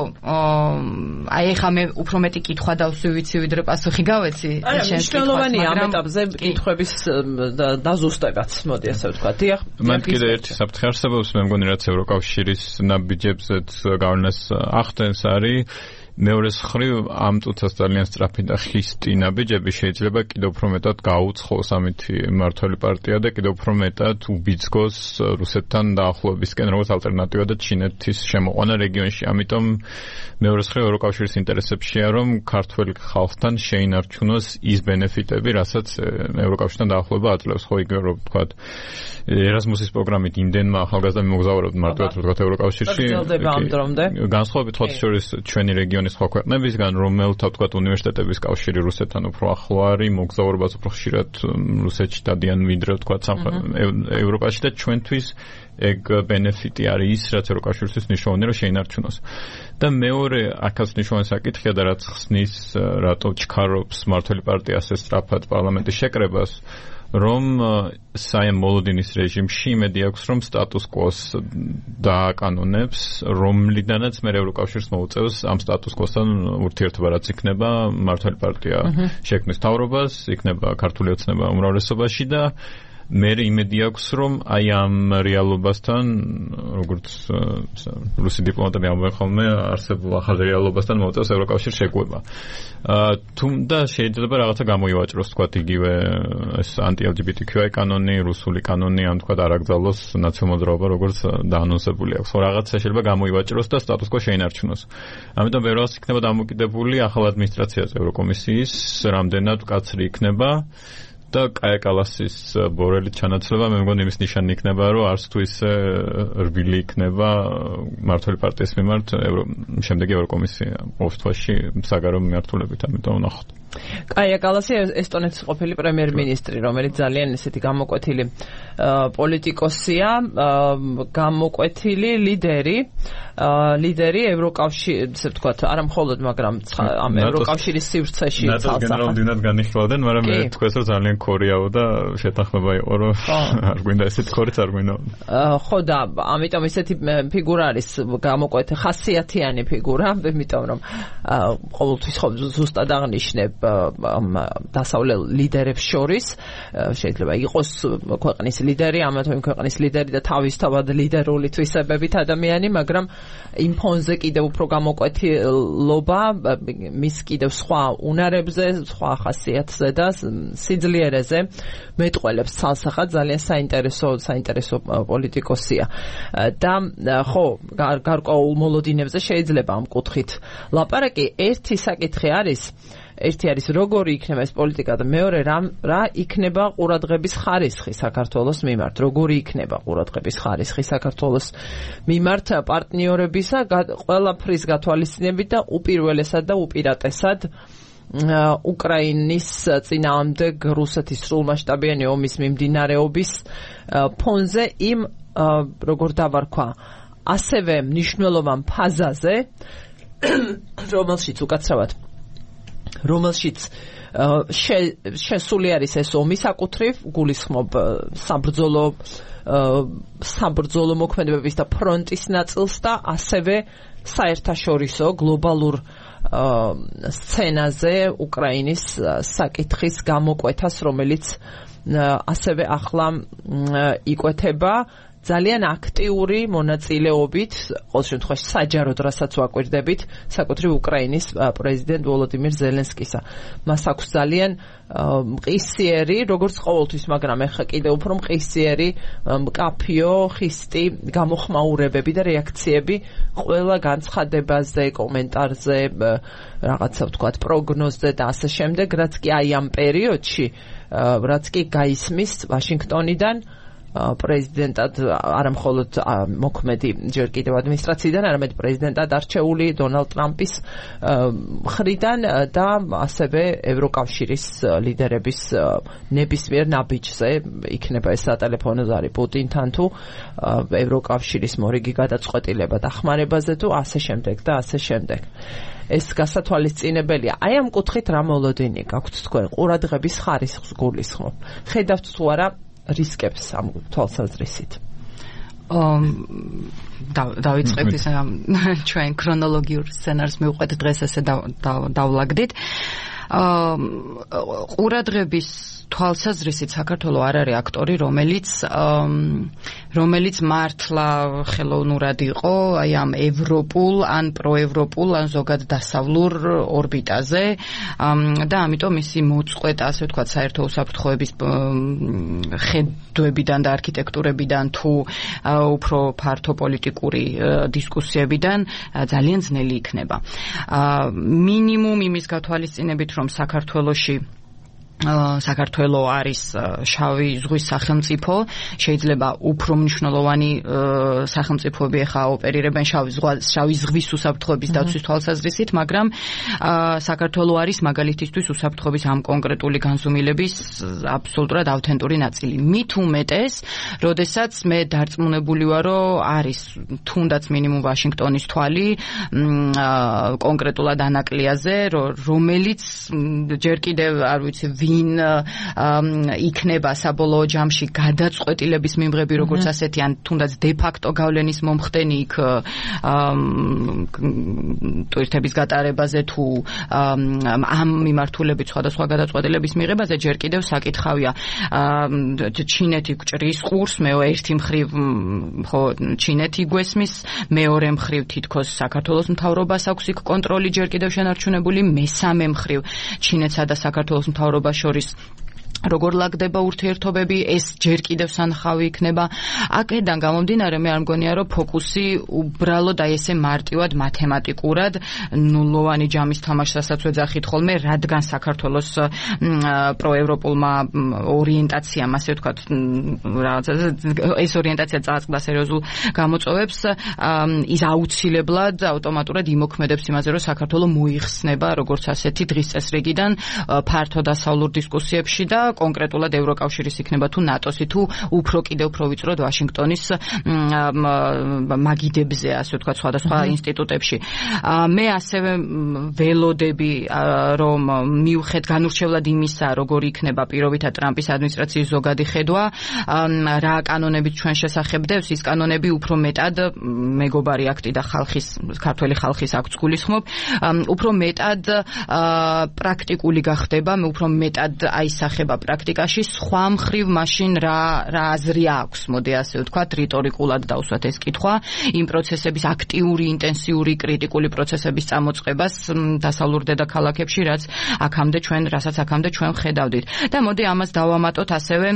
აი ეხლა მე უფრო მეტი კითხვა დავსვი ვიცი, ვიდრე პასუხი გავეცი. მნიშვნელოვანია ამ ეტაპზე კითხვების დაზუსტებაც, მოდი ასე ვთქვათ. დიახ. მან კიდე ერთი საფრთხე არსებობს, მე მგონი, რაც ევროკავშირის ნაბიჯებზეც გავლენას ახდენს, არის მეორეს მხრივ ამ წუთას ძალიან სწრაფი და ხისტი ნაბიჯები შეიძლება კიდევ უფრო მეტად გაუცხოს ამითი მმართველი პარტია და კიდევ უფრო მეტად უბიძგოს რუსეთთან დაახლოებისკენ, როგორც ალტერნატივა და ჩინეთის შემოყვანა რეგიონში. ამიტომ მეორეს მხრივ ევროკავშირის ინტერესებშია, რომ ქართველ ხალხთან შეინარჩუნოს ის ბენეფიტები, რასაც ევროკავშირთან დაახლოება აძლევს. ხო, იგივე რომ ვთქვათ, ერასმუსის პროგრამით იმდენმა ახალგაზრდა მოგზაურობთ მარტივად ვთქვათ ევროკავშირში. განსხვავებით ხოთ შორის ჩვენი რეგიონის სხვა ქვეყნებისგან, რომელთა ვთქვათ უნივერსიტეტების კავშირი რუსეთთან უფრო ახლო არის, მოგზაურობას უფრო ხშირად რუსეთში დადიან ვიდრე ვთქვათ ევროპაში და ჩვენთვის ეგ ბენეფიტი არის ის, რაც ევროკავშირისთვის მნიშვნელოვანია, რომ შეინარჩუნოს. და მეორე აქაც მნიშვნელოვანი საკითხია და რაც ხსნის, რატო ჩქარობს მმართველი პარტია ასე სწრაფად პარლამენტის შეკრებას, რომ საიმ მოლოდინის რეჟიმში იმედი აქვს, რომ სტატუს კვოს დააკანონებს, რომლიდანაც მე ევროკავშირს მოუწევს ამ სტატუს კვოსთან ურთიერთობა, რაც იქნება მართალი პარტია შექმნის მთავრობას, იქნება ქართული ოცნება უმრავლესობაში და მე იმედი აქვს, რომ აი ამ რეალობასთან, როგორც რუსი დიპლომატები ამბობენ ხოლმე, არსებულ ახალ რეალობასთან მოუწევს ევროკავშირს შეგუება. თუმცა შეიძლება რაღაცა გამოივაჭროს, თქვათ, იგივე ეს anti-LGBTQI კანონი, რუსული კანონი, ან თქვათ არ აკრძალოს ნაციონალურ მოძრაობა, როგორც დაანონსებული აქვს. რაღაცა შეიძლება გამოივაჭროს და სტატუს კვო შეინარჩუნოს. ამიტომ ვერას იქნება დამოკიდებული ახალ ადმინისტრაციაზე ევროკომისიის, რამდენად მკაცრი იქნება. და კაია კალასის ბორელით ჩანაცვლება მე მგონი იმის ნიშანი იქნება, რომ არც თუ ისე რბილი იქნება მართალი პარტიის მიმართ შემდეგი ევროკომისია ყოველ თვეში საგარეო მიმართულებით, ამიტომ ვნახოთ. კაია კალასი ესტონეთის ყოფილი პრემიერ-მინისტრი, რომელიც ძალიან ესეთი გამოკვეთილი პოლიტიკოსია, გამოკვეთილი ლიდერი ევროკავშირის, ესე ვთქვათ, არა მხოლოდ, მაგრამ ამ ევროკავშირის სივრცეში ცალსახად. გენერალ-მდივნად განიხილავდნენ, მაგრამ მე თქვენს რომ ძალიან ქორიაო და შეთანხმება იყო, რომ არ გვინდა ესეთი ქორიც არ გვინდა. ხო და ამიტომ ესეთი ფიგურა არის გამოკვეთილი, ხასიათიანი ფიგურა, იმიტომ რომ ყოველთვის ზუსტად აღნიშნებ დასავლელ ლიდერებს შორის შეიძლება იყოს ქვეყნის ლიდერი, ამათო იმ ქვეყნის ლიდერი და თავისთავად ლიდერული თვისებებით ადამიანი, მაგრამ იმ ფონზე კიდევ უფრო გამოკვეთილობა მის კიდევ სხვა უნარებზე, სხვა ხასიათზე და სიძლიერეზე მეტყველებს ცალსახად ძალიან საინტერესო პოლიტიკოსია. და ხო, გარკვეულ მოლოდინებზე შეიძლება ამ კუთხით ლაპარაკი. ერთი საკითხი არის როგორი იქნება ეს პოლიტიკა და მეორე რა იქნება ყურადღების ხარისხი საქართველოს მიმართ, როგორი იქნება ყურადღების ხარისხი საქართველოს მიმართ პარტნიორებისა ყველაფრის გათვალისწინებით და უპირველესად და უპირატესად უკრაინის წინააღმდეგ რუსეთის სრულმასშტაბიანი ომის მიმდინარეობის ფონზე იმ როგორ დავარქვა ასევე მნიშვნელოვან ფაზაზე, რომელშიც შესული არის ეს ომი საკუთრივ, გულისხმობ საბრძოლო მოქმედებების და ფრონტის ნაწილს და ასევე საერთაშორისო გლობალურ სცენაზე უკრაინის საკითხის გამოკვეთას, რომელიც ასევე ახლა იკვეთება ძალიან აქტიური მონაწილეობით, ყოველ შემთხვევაში საჯაროდ რასაც ვაკვირდებით, საკუთრივ უკრაინის პრეზიდენტ ვოლოდიმირ ზელენსკისა. მას აქვს ძალიან მყისიერი, როგორც ყოველთვის, მაგრამ ეხლა კიდევ უფრო მყისიერი, მკაფიო, ხისტი გამოხმაურებები და რეაქციები ყველა განცხადებაზე, კომენტარზე, რაღაცა ვთქვათ, პროგნოზზე და ასე შემდეგ, რაც კი აი ამ პერიოდში, რაც კი გაისმის ვაშინგტონიდან პრეზიდენტად არა მხოლოდ მოქმედი ჯერ კიდევ ადმინისტრაციიდან, არამედ პრეზიდენტად არჩეული დონალდ ტრამპის მხრიდან და ასევე ევროკავშირის ლიდერების ნებისმიერ ნაბიჯზე იქნება ეს სატელეფონო ზარი პუტინთან თუ ევროკავშირის მორიგი გადაწყვეტილება დახმარებაზე თუ ასე შემდეგ და ასე შემდეგ. ეს გასათვალისწინებელია. აი ამ კუთხით რა მოლოდინი გაქვთ თქვენ ყურადღების ხარისხს გულისხმობ. ხედავთ თუ არა რისკებს ამ თვალსაზრისით. დავიწყებთ ის ჩვენ ქრონოლოგიურ სცენარს მივყვეთ დღეს ესე დავლაგდით. ყურადღების თვალსაზრისით საქართველო არ არის აქტორი, რომელიც მართლა ხელოვნურად იყო აი ამ ევროპულ ან პროევროპულ ან ზოგად დასავლურ ორბიტაზე და ამიტომ ისი მოწყვეტა, ასე ვთქვათ, საერთო უსაფრთხოების ხედვებიდან და არქიტექტურებიდან თუ უფრო ფართო პოლიტიკური დისკუსიებიდან ძალიან ძნელი იქნება. მინიმუმ იმის გათვალისწინებით, რომ საქართველო არის შავი ზღვის სახელმწიფო, შეიძლება უფრო მნიშვნელოვანი სახელმწიფოები ახლა ოპერირებენ შავი ზღვის უსაფრთხოების დაცვის თვალსაზრისით, მაგრამ საქართველო არის მაგალითისთვის უსაფრთხოების ამ კონკრეტული განზომილების აბსოლუტურად ავთენტური ნაწილი. მით უმეტეს, როდესაც მე დარწმუნებული ვარ, რომ არის თუნდაც მინიმუმ ვაშინგტონის თვალი კონკრეტულად ანაკლიაზე, რომელიც ჯერ კიდევ არ ვიცი ვინ იქნება საბოლოო ჯამში გადაწყვეტილების მიმღები როგორც ასეთი ან თუნდაც დე-ფაქტო გავლენის მომხდენი იქ ტვირთების გატარებაზე თუ ამ მიმართულებით სხვადასხვა გადაწყვეტილების მიღებაზე ჯერ კიდევ საკითხავია ჩინეთი გვჭრის ყურს ერთი მხრივ ხო ჩინეთი გვესმის მეორე მხრივ თითქოს საქართველოს მთავრობას აქვს იქ კონტროლი ჯერ კიდევ შენარჩუნებული მესამე მხრივ ჩინეთსა და საქართველოს მთავრობას შორის როგორ ლაგდება ურთიერთობები ეს ჯერ კიდევ სანახავი იქნება აქედან გამომდინარე მე არ მგონია რომ ფოკუსი უბრალოდ აი ესე მარტივად მათემატიკურად ნულოვანი ჯამის თამაშსაც ვეძახით ხოლმე რადგან საქართველოს პროევროპულმა ორიენტაციამ ასე ვთქვათ რაღაცა ეს ორიენტაცია წააწყდა სერიოზულ გამოწვევებს ის აუცილებლად ავტომატურად იმოქმედებს იმაზე რომ საქართველო მოიხსნება როგორც ასეთი დღის წესრიგიდან ფართო დასავლურ დისკუსიებში და კონკრეტულად ევროკავშირის იქნება თუ ნატოსი თუ უფრო ვიწროდ ვაშინგტონის მაგიდებზე ასე ვთქვათ სხვადასხვა ინსტიტუტებში მე ასევე ველოდები რომ მიუხედ განურჩევლად იმისა როგორ იქნება პირობითად ტრამპის ადმინისტრაციის ზოგადი ხედვა რა კანონებით ჩვენ შესახებდებს ის კანონები უფრო მეტად მეგობარი აქტი და ქართველი ხალხის აქტს გულისხმობ უფრო მეტად პრაქტიკული გახდება მე უფრო მეტად აისახება პრაქტიკაში სხვა მხრივ მაშინ რა აზრი აქვს მოდი ასე ვთქვათ რიტორიკულად დავსვათ ეს კითხვა იმ პროცესების აქტიური ინტენსიური კრიტიკული პროცესების წამოწყებას დასავლურ დედაქალაქებში რასაც აქამდე ჩვენ ხედავდით და მოდი ამას დავამატოთ ასევე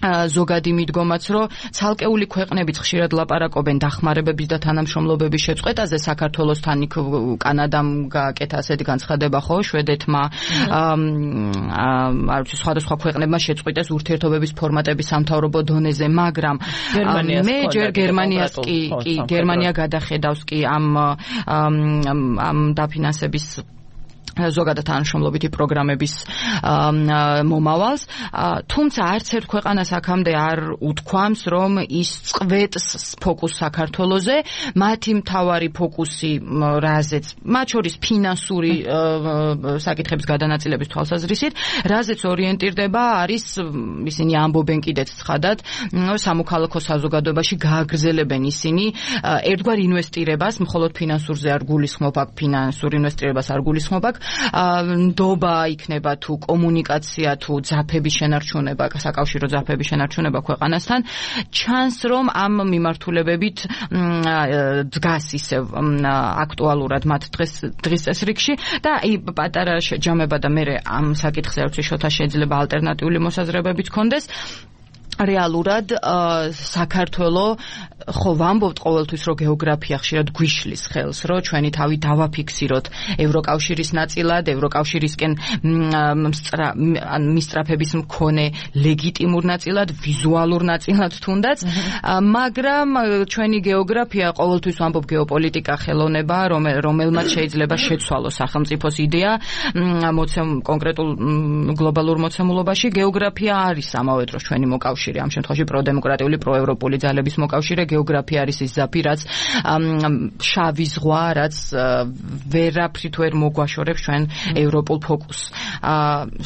ზოგადი მიდგომაც რომ ცალკეული ქვეყნებიც ხშირად ლაპარაკობენ დახმარებების და თანამშრომლობების შეწყვეტაზე საქართველოსთან იქ კანადამ გააკეთა ასეთი განცხადება ხო შვედეთმა სხვადასხვა ქვეყნებმა შეწყვიტეს ურთიერთობების ფორმატების სამთავრობო დონეზე მაგრამ მე ჯერ გერმანია გადახედავს კი ამ დაფინანსების ზოგადად თანამშრომლობითი პროგრამების მომავალს თუმცა არც ერთ ქვეყანას აქამდე არ უთქვამს რომ ის წყვეტს ფოკუსს საქართველოზე მათი მთავარი ფოკუსი რაზეც მათ შორის ფინანსური საკითხების გადანაწილების თვალსაზრისით რაზეც ორიენტირდება არის ისინი ამბობენ კიდეც ცხადად სამოქალაქო საზოგადოებაში გააგრძელებენ ისინი ერთგვარ ინვესტირებას მხოლოდ ფინანსურზე არ გულისხმობ აქ ფინანსურ ინვესტირებას არ გულისხმობ აქ ნდობა იქნება თუ კომუნიკაცია თუ ძაფების შენარჩუნება, საკავშირო ძაფების შენარჩუნება ქვეყანასთან, ჩანს რომ ამ მიმართულებებით დგას ისევ აქტუალურად მათ დღის წესრიგში და პატარა შეჯამება და მე ამ საკითხზე არც შოთა შეიძლება ალტერნატიული მოსაზრებებიც ქონდეს. რეალურად საქართველო ხო ვამბობთ ყოველთვის რომ გეოგრაფია ხშირად გვიშლის ხელს რომ ჩვენი თავი დავაფიქსიროთ ევროკავშირის ნაწილად ევროკავშირისკენ მისწრაფების მქონე ლეგიტიმურ ნაწილად ვიზუალურ ნაწილად თუნდაც მაგრამ ჩვენი გეოგრაფია ყოველთვის ვამბობ გეოპოლიტიკა ხელოვნება რომელმაც შეიძლება შეცვალოს სახელმწიფოს იდეა კონკრეტულ გლობალურ მოცემულობაში გეოგრაფია არის ამავე დროს ჩვენი მოკავშირე ამ შემთხვევაში პროდემოკრატიული პროევროპული ძალების მოკავშირე გეოგრაფია არის ის ზაფი რაც შავი ზღვა რაც ვერაფრით ვერ მოგვაშორებს ჩვენ ევროპულ ფოკუსს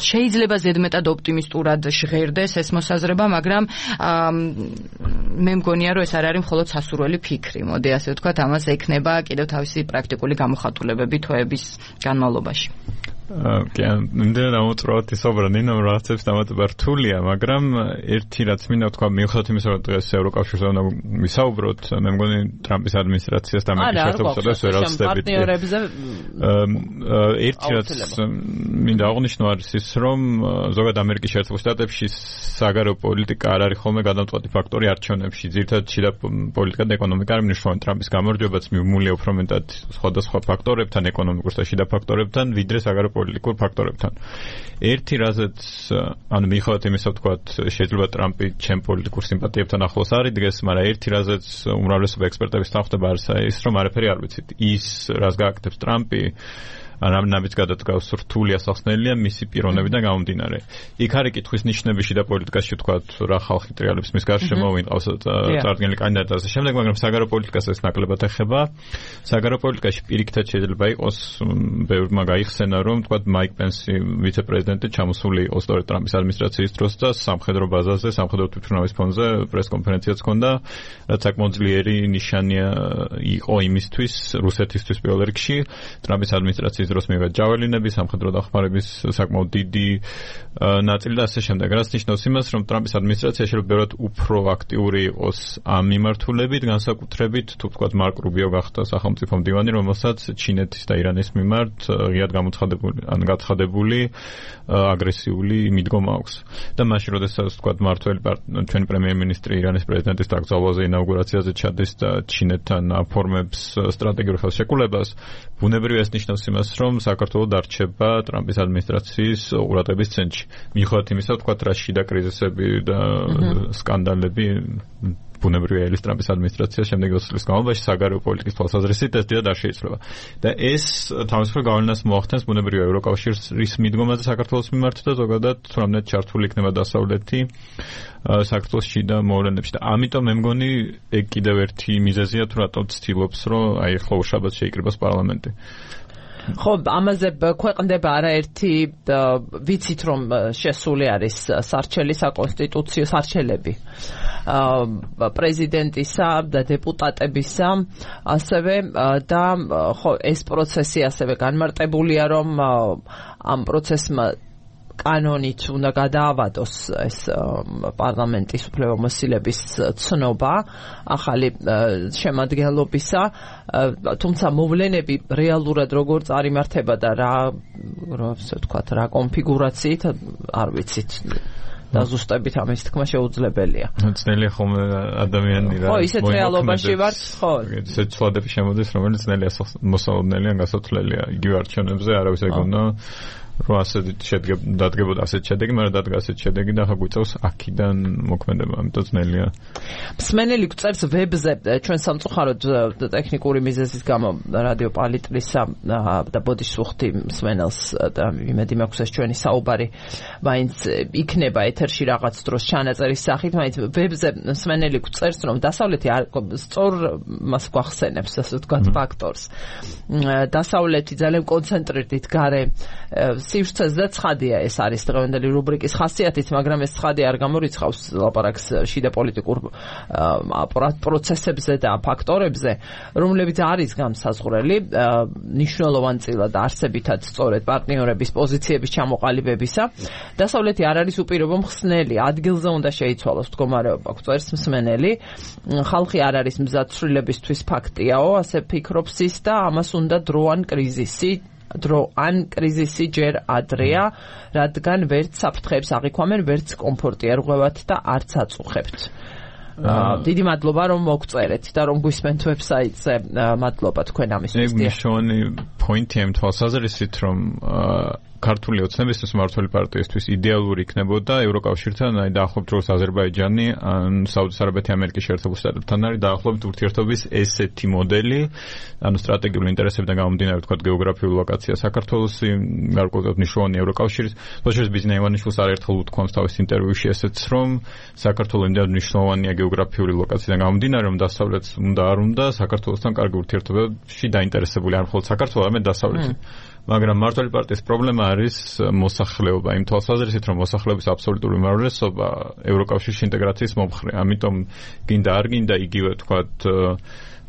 შეიძლება ზედმეტად ოპტიმისტურად ჟღერდეს ეს მოსაზრება მაგრამ მე მგონია რომ ეს არ არის მხოლოდ სასურველი ფიქრი მოდი ასე ვთქვათ ამას ექნება კიდევ თავისი პრაქტიკული გამოხატულებები თვეების განმავლობაში კი, ნამდვილად ამოწუროთ ისობრა ნინო რაღაცებს დამატება რთულია, მაგრამ ერთი რაც მინდა ვთქვა, მიუხედავად იმისა, რომ დღეს ევროკავშირზე უნდა ვისაუბროთ, მე მგონი ტრამპის ადმინისტრაციას და ამერიკის შეერთებულ შტატებს ვერ ავსდებით. ერთი რაც მინდა აღნიშნო არის ის, რომ ზოგადად ამერიკის შეერთებულ შტატებში საგარეო პოლიტიკა არ არის ხოლმე გადამწყვეტი ფაქტორი არჩევნებში. ძირითადად შიდა პოლიტიკა და ეკონომიკა არის მნიშვნელოვანი. ტრამპის გამარჯვებაც მიუმულია უფრო მეტად სხვადასხვა ფაქტორებთან, ეკონომიკურ და შიდა ფაქტორებთან, ვიდრე საგარეო პოლიტიკურ ფაქტორებთან. ერთი რაზეც ანუ მიუხედავად იმისა, ვთქვათ, შეიძლება ტრამპი ჩემ პოლიტიკურ სიმპათიებთან ახლოს არიდგეს, მაგრამ ერთი რაზეც უმრავლესობა ექსპერტების თანხმდება არის ის, რომ არაფერი არ ვიცით. ის, რას გააკეთებს ტრამპი რამაც გადადგავს რთული ასახსნელია მისი პიროვნებიდან გამომდინარე. იქ არის კითხვის ნიშნები შიდა პოლიტიკაში თქვათ რა ხალხი ტრიალებს მის გარშემო ვინყავს წარდგენილი კანდიდატი ასე შემდეგ, მაგრამ საგარეო პოლიტიკას ეს ნაკლებად ეხება. საგარეო პოლიტიკაში პირიქითაც შეიძლება იყოს ბევრმა გაიხსენა რომ თქვათ მაიკ პენსი ვიცე-პრეზიდენტი ჩამოსული იყო სწორედ ტრამპის ადმინისტრაციის დროს და სამხედრო ბაზაზე, სამხედრო თვითმფრინავის ფონზე პრეს-კონფერენციაც ჰქონდა, რაც საკმაოდ ძლიერი ნიშანია იყო იმისთვის რუსეთისთვის პირველ რიგში ტრამპის ადმინისტრაციის დროს მივიდა ჯაველინები, სამხედრო დახმარების საკმაოდ დიდი ნაწილი და ასე შემდეგ. რაც ნიშნავს იმას, რომ ტრამპის ადმინისტრაცია შეიძლება ბევრად უფრო აქტიური იყოს ამ მიმართულებით, განსაკუთრებით თუ ვთქვათ მარკ რუბიო გახდა სახელმწიფო მდივანი, რომელსაც ჩინეთის და ირანის მიმართ ღიად გაცხადებული აგრესიული მიდგომა აქვს. და მაშინ, როდესაც ვთქვათ მართველი ჩვენი პრემიერ-მინისტრი ირანის პრეზიდენტის დაკრძალვაზე ინაუგურაციაზე ჩადის და ჩინეთთან აფორმებს სტრატეგიურ ხელშეკრულებას, ბუნებრივია ეს ნიშნავს იმას, რომ საქართველო დარჩება ტრამპის ადმინისტრაციის ყურადღების ცენტრში. მიუხედავად იმისა, ვთქვათ რა შიდა კრიზისები და სკანდალები ბუნებრივია ელის ტრამპის ადმინისტრაცია შემდეგი 20 წლის განმავლობაში საგარეო პოლიტიკის თვალსაზრისით ეს დიდად არ შეიძლება. და ეს თავისუფალ გავლენას მოახდენს ბუნებრივია ევროკავშირის მიდგომაზე საქართველოს მიმართ და ზოგადად თუნდაც ჩართული იქნება დასავლეთი საქართველოს შიდა მოვლენებში. და ამიტომ მე მგონი ეგ კიდევ ერთი მიზეზია თუ რატო ცდილობს რომ აი ახლა უშაბათს შეიკრიბოს პარლამენტი. ხო, ამაზე ქვეყნდება არაერთი ვიცით რომ შესული არის სარჩელი საკონსტიტუციო სარჩელები პრეზიდენტისა და დეპუტატებისა ასევე და ხო ეს პროცესი ასევე განმარტებულია რომ ამ პროცესმა კანონით უნდა გადაავადოს ეს პარლამენტის უფლებამოსილების ცნობა ახალი შემადგენლობისა, თუმცა მოვლენები რეალურად როგორ წარიმართება და რა ვთქვათ, რა კონფიგურაციით არ ვიცით. და ზუსტებით ამის თქმა შეუძლებელია. ძნელია ხოლმე ადამიანი რა. ხო, ისეთ რეალობაში ვართ, ხო. ისეთ ცვლადები შემოდის, რომელიც ძნელია მოსალოდნელი ან გასათვლელია. იგივე არჩევნებზე არავის ეგონა რომ ასეთ დადგებოდა ასეთ შედეგი, მაგრამ დადგა ასეთ შედეგი და ახლა გვიწევს აქიდან მოქმედება, ამიტომ ძნელია. მსმენელი გვწერს ვებზე ჩვენ სამწუხაროდ ტექნიკური მიზეზის გამო რადიო პალიტრისა და ბოდიშს ვუხდი მსმენელს და იმედი მაქვს ეს ჩვენი საუბარი მაინც იქნება ეთერში რაღაც დროს ჩანაწერის სახით, მაინც ვებზე მსმენელი გვწერს რომ დასავლეთი სწორ მას გვახსენებს ასე ვთქვათ ფაქტორს. დასავლეთი ძალიან კონცენტრირდით გარე სივრცეზე და ცხადია ეს არის დღევანდელი რუბრიკის ხასიათით, მაგრამ ეს ცხადი არ გამორიცხავს ლაპარაკს შიდა პოლიტიკურ პროცესებზე და ფაქტორებზე, რომლებიც არის განსაზღვრელი მნიშვნელოვანწილად არსებითად სწორედ პარტნიორების პოზიციების ჩამოყალიბებისა. დასავლეთი არ არის უპირობო მხსნელი, ადგილზე უნდა შეიცვალოს მდგომარეობა, გვწერს მსმენელი. ხალხი არ არის მზად ცვლილებისთვის ფაქტიაო, ასე ფიქრობს ის და ამას უნდა დრო ან კრიზისი ჯერ ადრეა, რადგან ვერც საფრთხეებს აღიქვამენ, ვერც კომფორტი არ ღვევათ და არც აწუხებთ. დიდი მადლობა რომ მოგწერეთ და რომ გვისმენთ ვებსაიტზე. მადლობა თქვენ ამისთვის. ეგ მნიშვნელოვანი პოინტია იმ თვალსაზრისით, რომ ქართული ოცნებისთვის მმართველი პარტიისთვის იდეალური იქნებოდა ევროკავშირთან, აი დაახლოებით როგორც აზერბაიჯანი ან საუდის არაბეთი ამერიკის შეერთებულ შტატებთან არის დაახლოებით ურთიერთობის ესეთი მოდელი, ანუ სტრატეგიული ინტერესებიდან გამომდინარე, ვთქვათ, გეოგრაფიული ლოკაცია საქართველოსი, გარკვეულად მნიშვნელოვანი ევროკავშირის. თორშორის ბიზნეს ივანიშვილს არაერთხელ უთქვამს თავის ინტერვიუში ესეც, რომ საქართველო იმდენად მნიშვნელოვანია გეოგრაფიული ლოკაციიდან გამომდინარე, რომ დასავლეთს უნდა არ უნდა საქართველოსთან კარგი ურთიერთობებში დაინტერესებული არ მხოლოდ საქართველო, არამედ დასავლეთი. მაგრამ მმართველი პარტიის პრობლემა არის მოსახლეობა, იმ თვალსაზრისით, რომ მოსახლეობის აბსოლუტური უმრავლესობა ევროკავშირში ინტეგრაციის მომხრე. ამიტომ გინდა არ გინდა იგივე თქვათ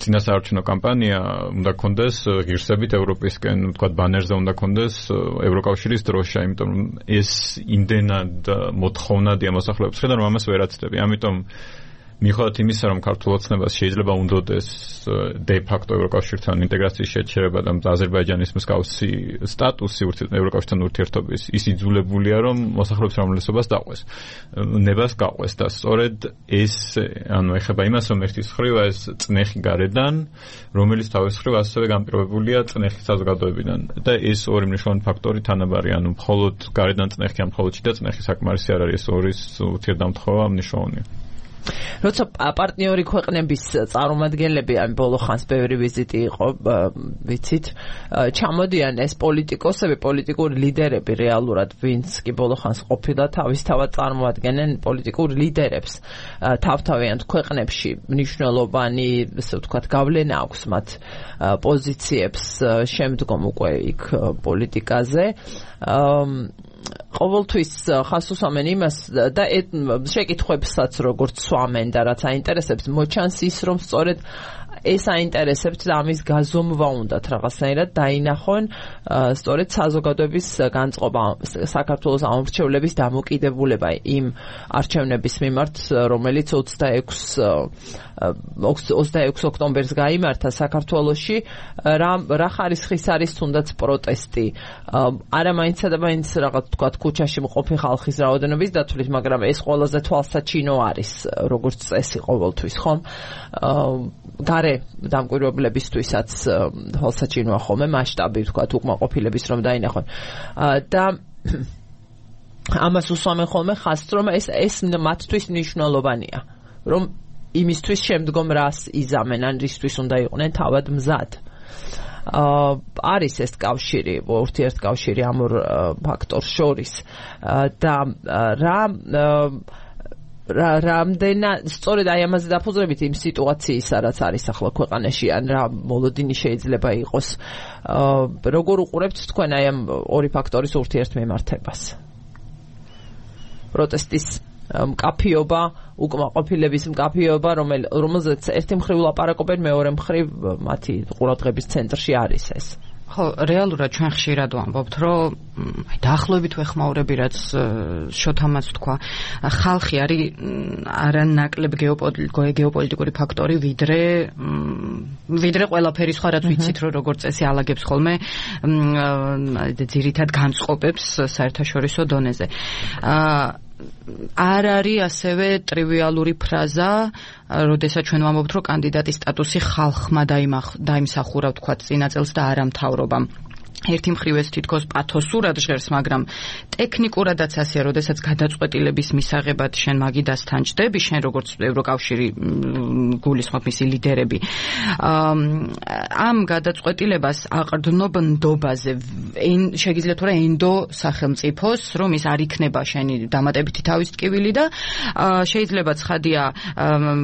წინასაარჩევნო კამპანია უნდა გქონდეს ღირსებით ევროპისკენ, თქვათ ბანერზე უნდა გქონდეს ევროკავშირის დროშა, იმიტომ ეს იმდენად მოთხოვნადია მოსახლეობის ხედავ, რომ ამას ვერ აცდები. ამიტომ მიუხედავად იმისა, რომ ქართულ ოცნებას შეიძლება უნდოდეს დე-ფაქტო ევროკავშირთან ინტეგრაციის შეჩერება და აზერბაიჯანის მსგავსი სტატუსი ევროკავშირთან ურთიერთობის, ის იძულებულია, რომ მოსახლეობის უმრავლესობას დაყვეს, ნებას გაყვეს და სწორედ ეს, ანუ ეხება იმას, რომ ერთის მხრივ ეს წნეხი გარედან, რომელიც თავის მხრივ ასევე განპირობებულია წნეხის საზოგადოებიდან და ეს ორი მნიშვნელოვანი ფაქტორი თანაბარი, ანუ მხოლოდ გარედან წნეხი, ან მხოლოდ შიდა წნეხი საკმარისი არ არის, ეს ორის ურთიერთდამთხოვა მნიშვნელოვანია. როცა პარტნიორი ქვეყნების წარმომადგენლები ამ ბოლო ხანს ბევრი ვიზიტი იყო, ვიცით, ჩამოდიან ეს პოლიტიკოსები, პოლიტიკური ლიდერები რეალურად, ვინც კი ბოლო ხანს ყოფილა თავისთავად წარმოადგენენ პოლიტიკურ ლიდერებს თავთავიანთ ქვეყნებში, მნიშვნელოვანი, ესე ვთქვათ, გავლენა აქვს მათ პოზიციებს შემდგომ უკვე იქ პოლიტიკაზე. ყოველთვის ხას უსვამენ იმას და შეკითხვებსაც როგორც სვამენ და რაც აინტერესებს, მოჩანს ის, რომ სწორედ ეს აინტერესებთ და ამის გაზომვა უნდათ რაღაცნაირად დაინახონ სწორედ საზოგადოების განწყობა, საქართველოს ამორჩევლების დამოკიდებულება იმ არჩევნების მიმართ, რომელიც 26 ოქტომბერს გაიმართა საქართველოში, რა ხარისხის არის თუნდაც პროტესტი. არა მაინცსა და მაინც რაღაც თქვათ ქუჩაში მყოფი ხალხის რაოდენობის დათვლით, მაგრამ ეს ყველაზე თვალსაჩინო არის, როგორც წესი ყოველთვის, ხომ? გარე დამკვირვებლებისთვისაც თვალსაჩინოა ხოლმე მასშტაბი, თქვათ, უკმაყოფილების რომ დაინახონ. და ამას უსვამენ ხოლმე ხაზს, რომ ეს მათთვის მნიშვნელოვანია, რომ იმისთვის შემდგომ რას იზამენ, ან რისთვის უნდა იყვნენ თავად მზად. არის ეს კავშირი, ურთიერთკავშირი ამ ორ ფაქტორს შორის და რამდენად სწორედ აი ამაზე დაფუძნებით იმ სიტუაციისა, რაც არის ახლა ქვეყანაში, ან რა მოლოდინი შეიძლება იყოს, როგორ უყურებთ თქვენ აი ამ ორი ფაქტორის ურთიერთმემართებას? პროტესტის მკაფიობა, უკმაყოფილების მკაფიობა, რომელზეც ერთი მხრივ ლაპარაკობენ, მეორე მხრივ მათი ყურადღების ცენტრში არის ეს. ხო, რეალურად ჩვენ ხშირად ვამბობთ, რომ დაახლოებით ვეხმაურები, რაც შოთამაც თქვა, ხალხი არის არანაკლებ გეოპოლიტიკური ფაქტორი, ვიდრე ყველაფერი სხვა, რაც ვიცით, რომ როგორც წესი ალაგებს ხოლმე ძირითად განწყობებს საერთაშორისო დონეზე. არ არის ასევე ტრივიალური ფრაზა, როდესაც ჩვენ ვამბობთ, რომ კანდიდატის სტატუსი ხალხმა დაიმსახურა, ვთქვათ, წინა წელს და არა მთავრობამ. ერთი მხრივ ეს თითქოს პათოსურად ჟღერს, მაგრამ ტექნიკურადაც ასეა, როდესაც გადაწყვეტილების მისაღებად შენ მაგიდასთან ჭდები, შენ როგორც ევროკავშირი გულისხმობ მისი ლიდერები, ამ გადაწყვეტილებას აყრდნობ ნდობაზე, შეგიძლიათ თუ რა ენდო სახელმწიფოს, რომ ის არ იქნება შენი დამატებითი თავის ტკივილი და შეიძლება ცხადია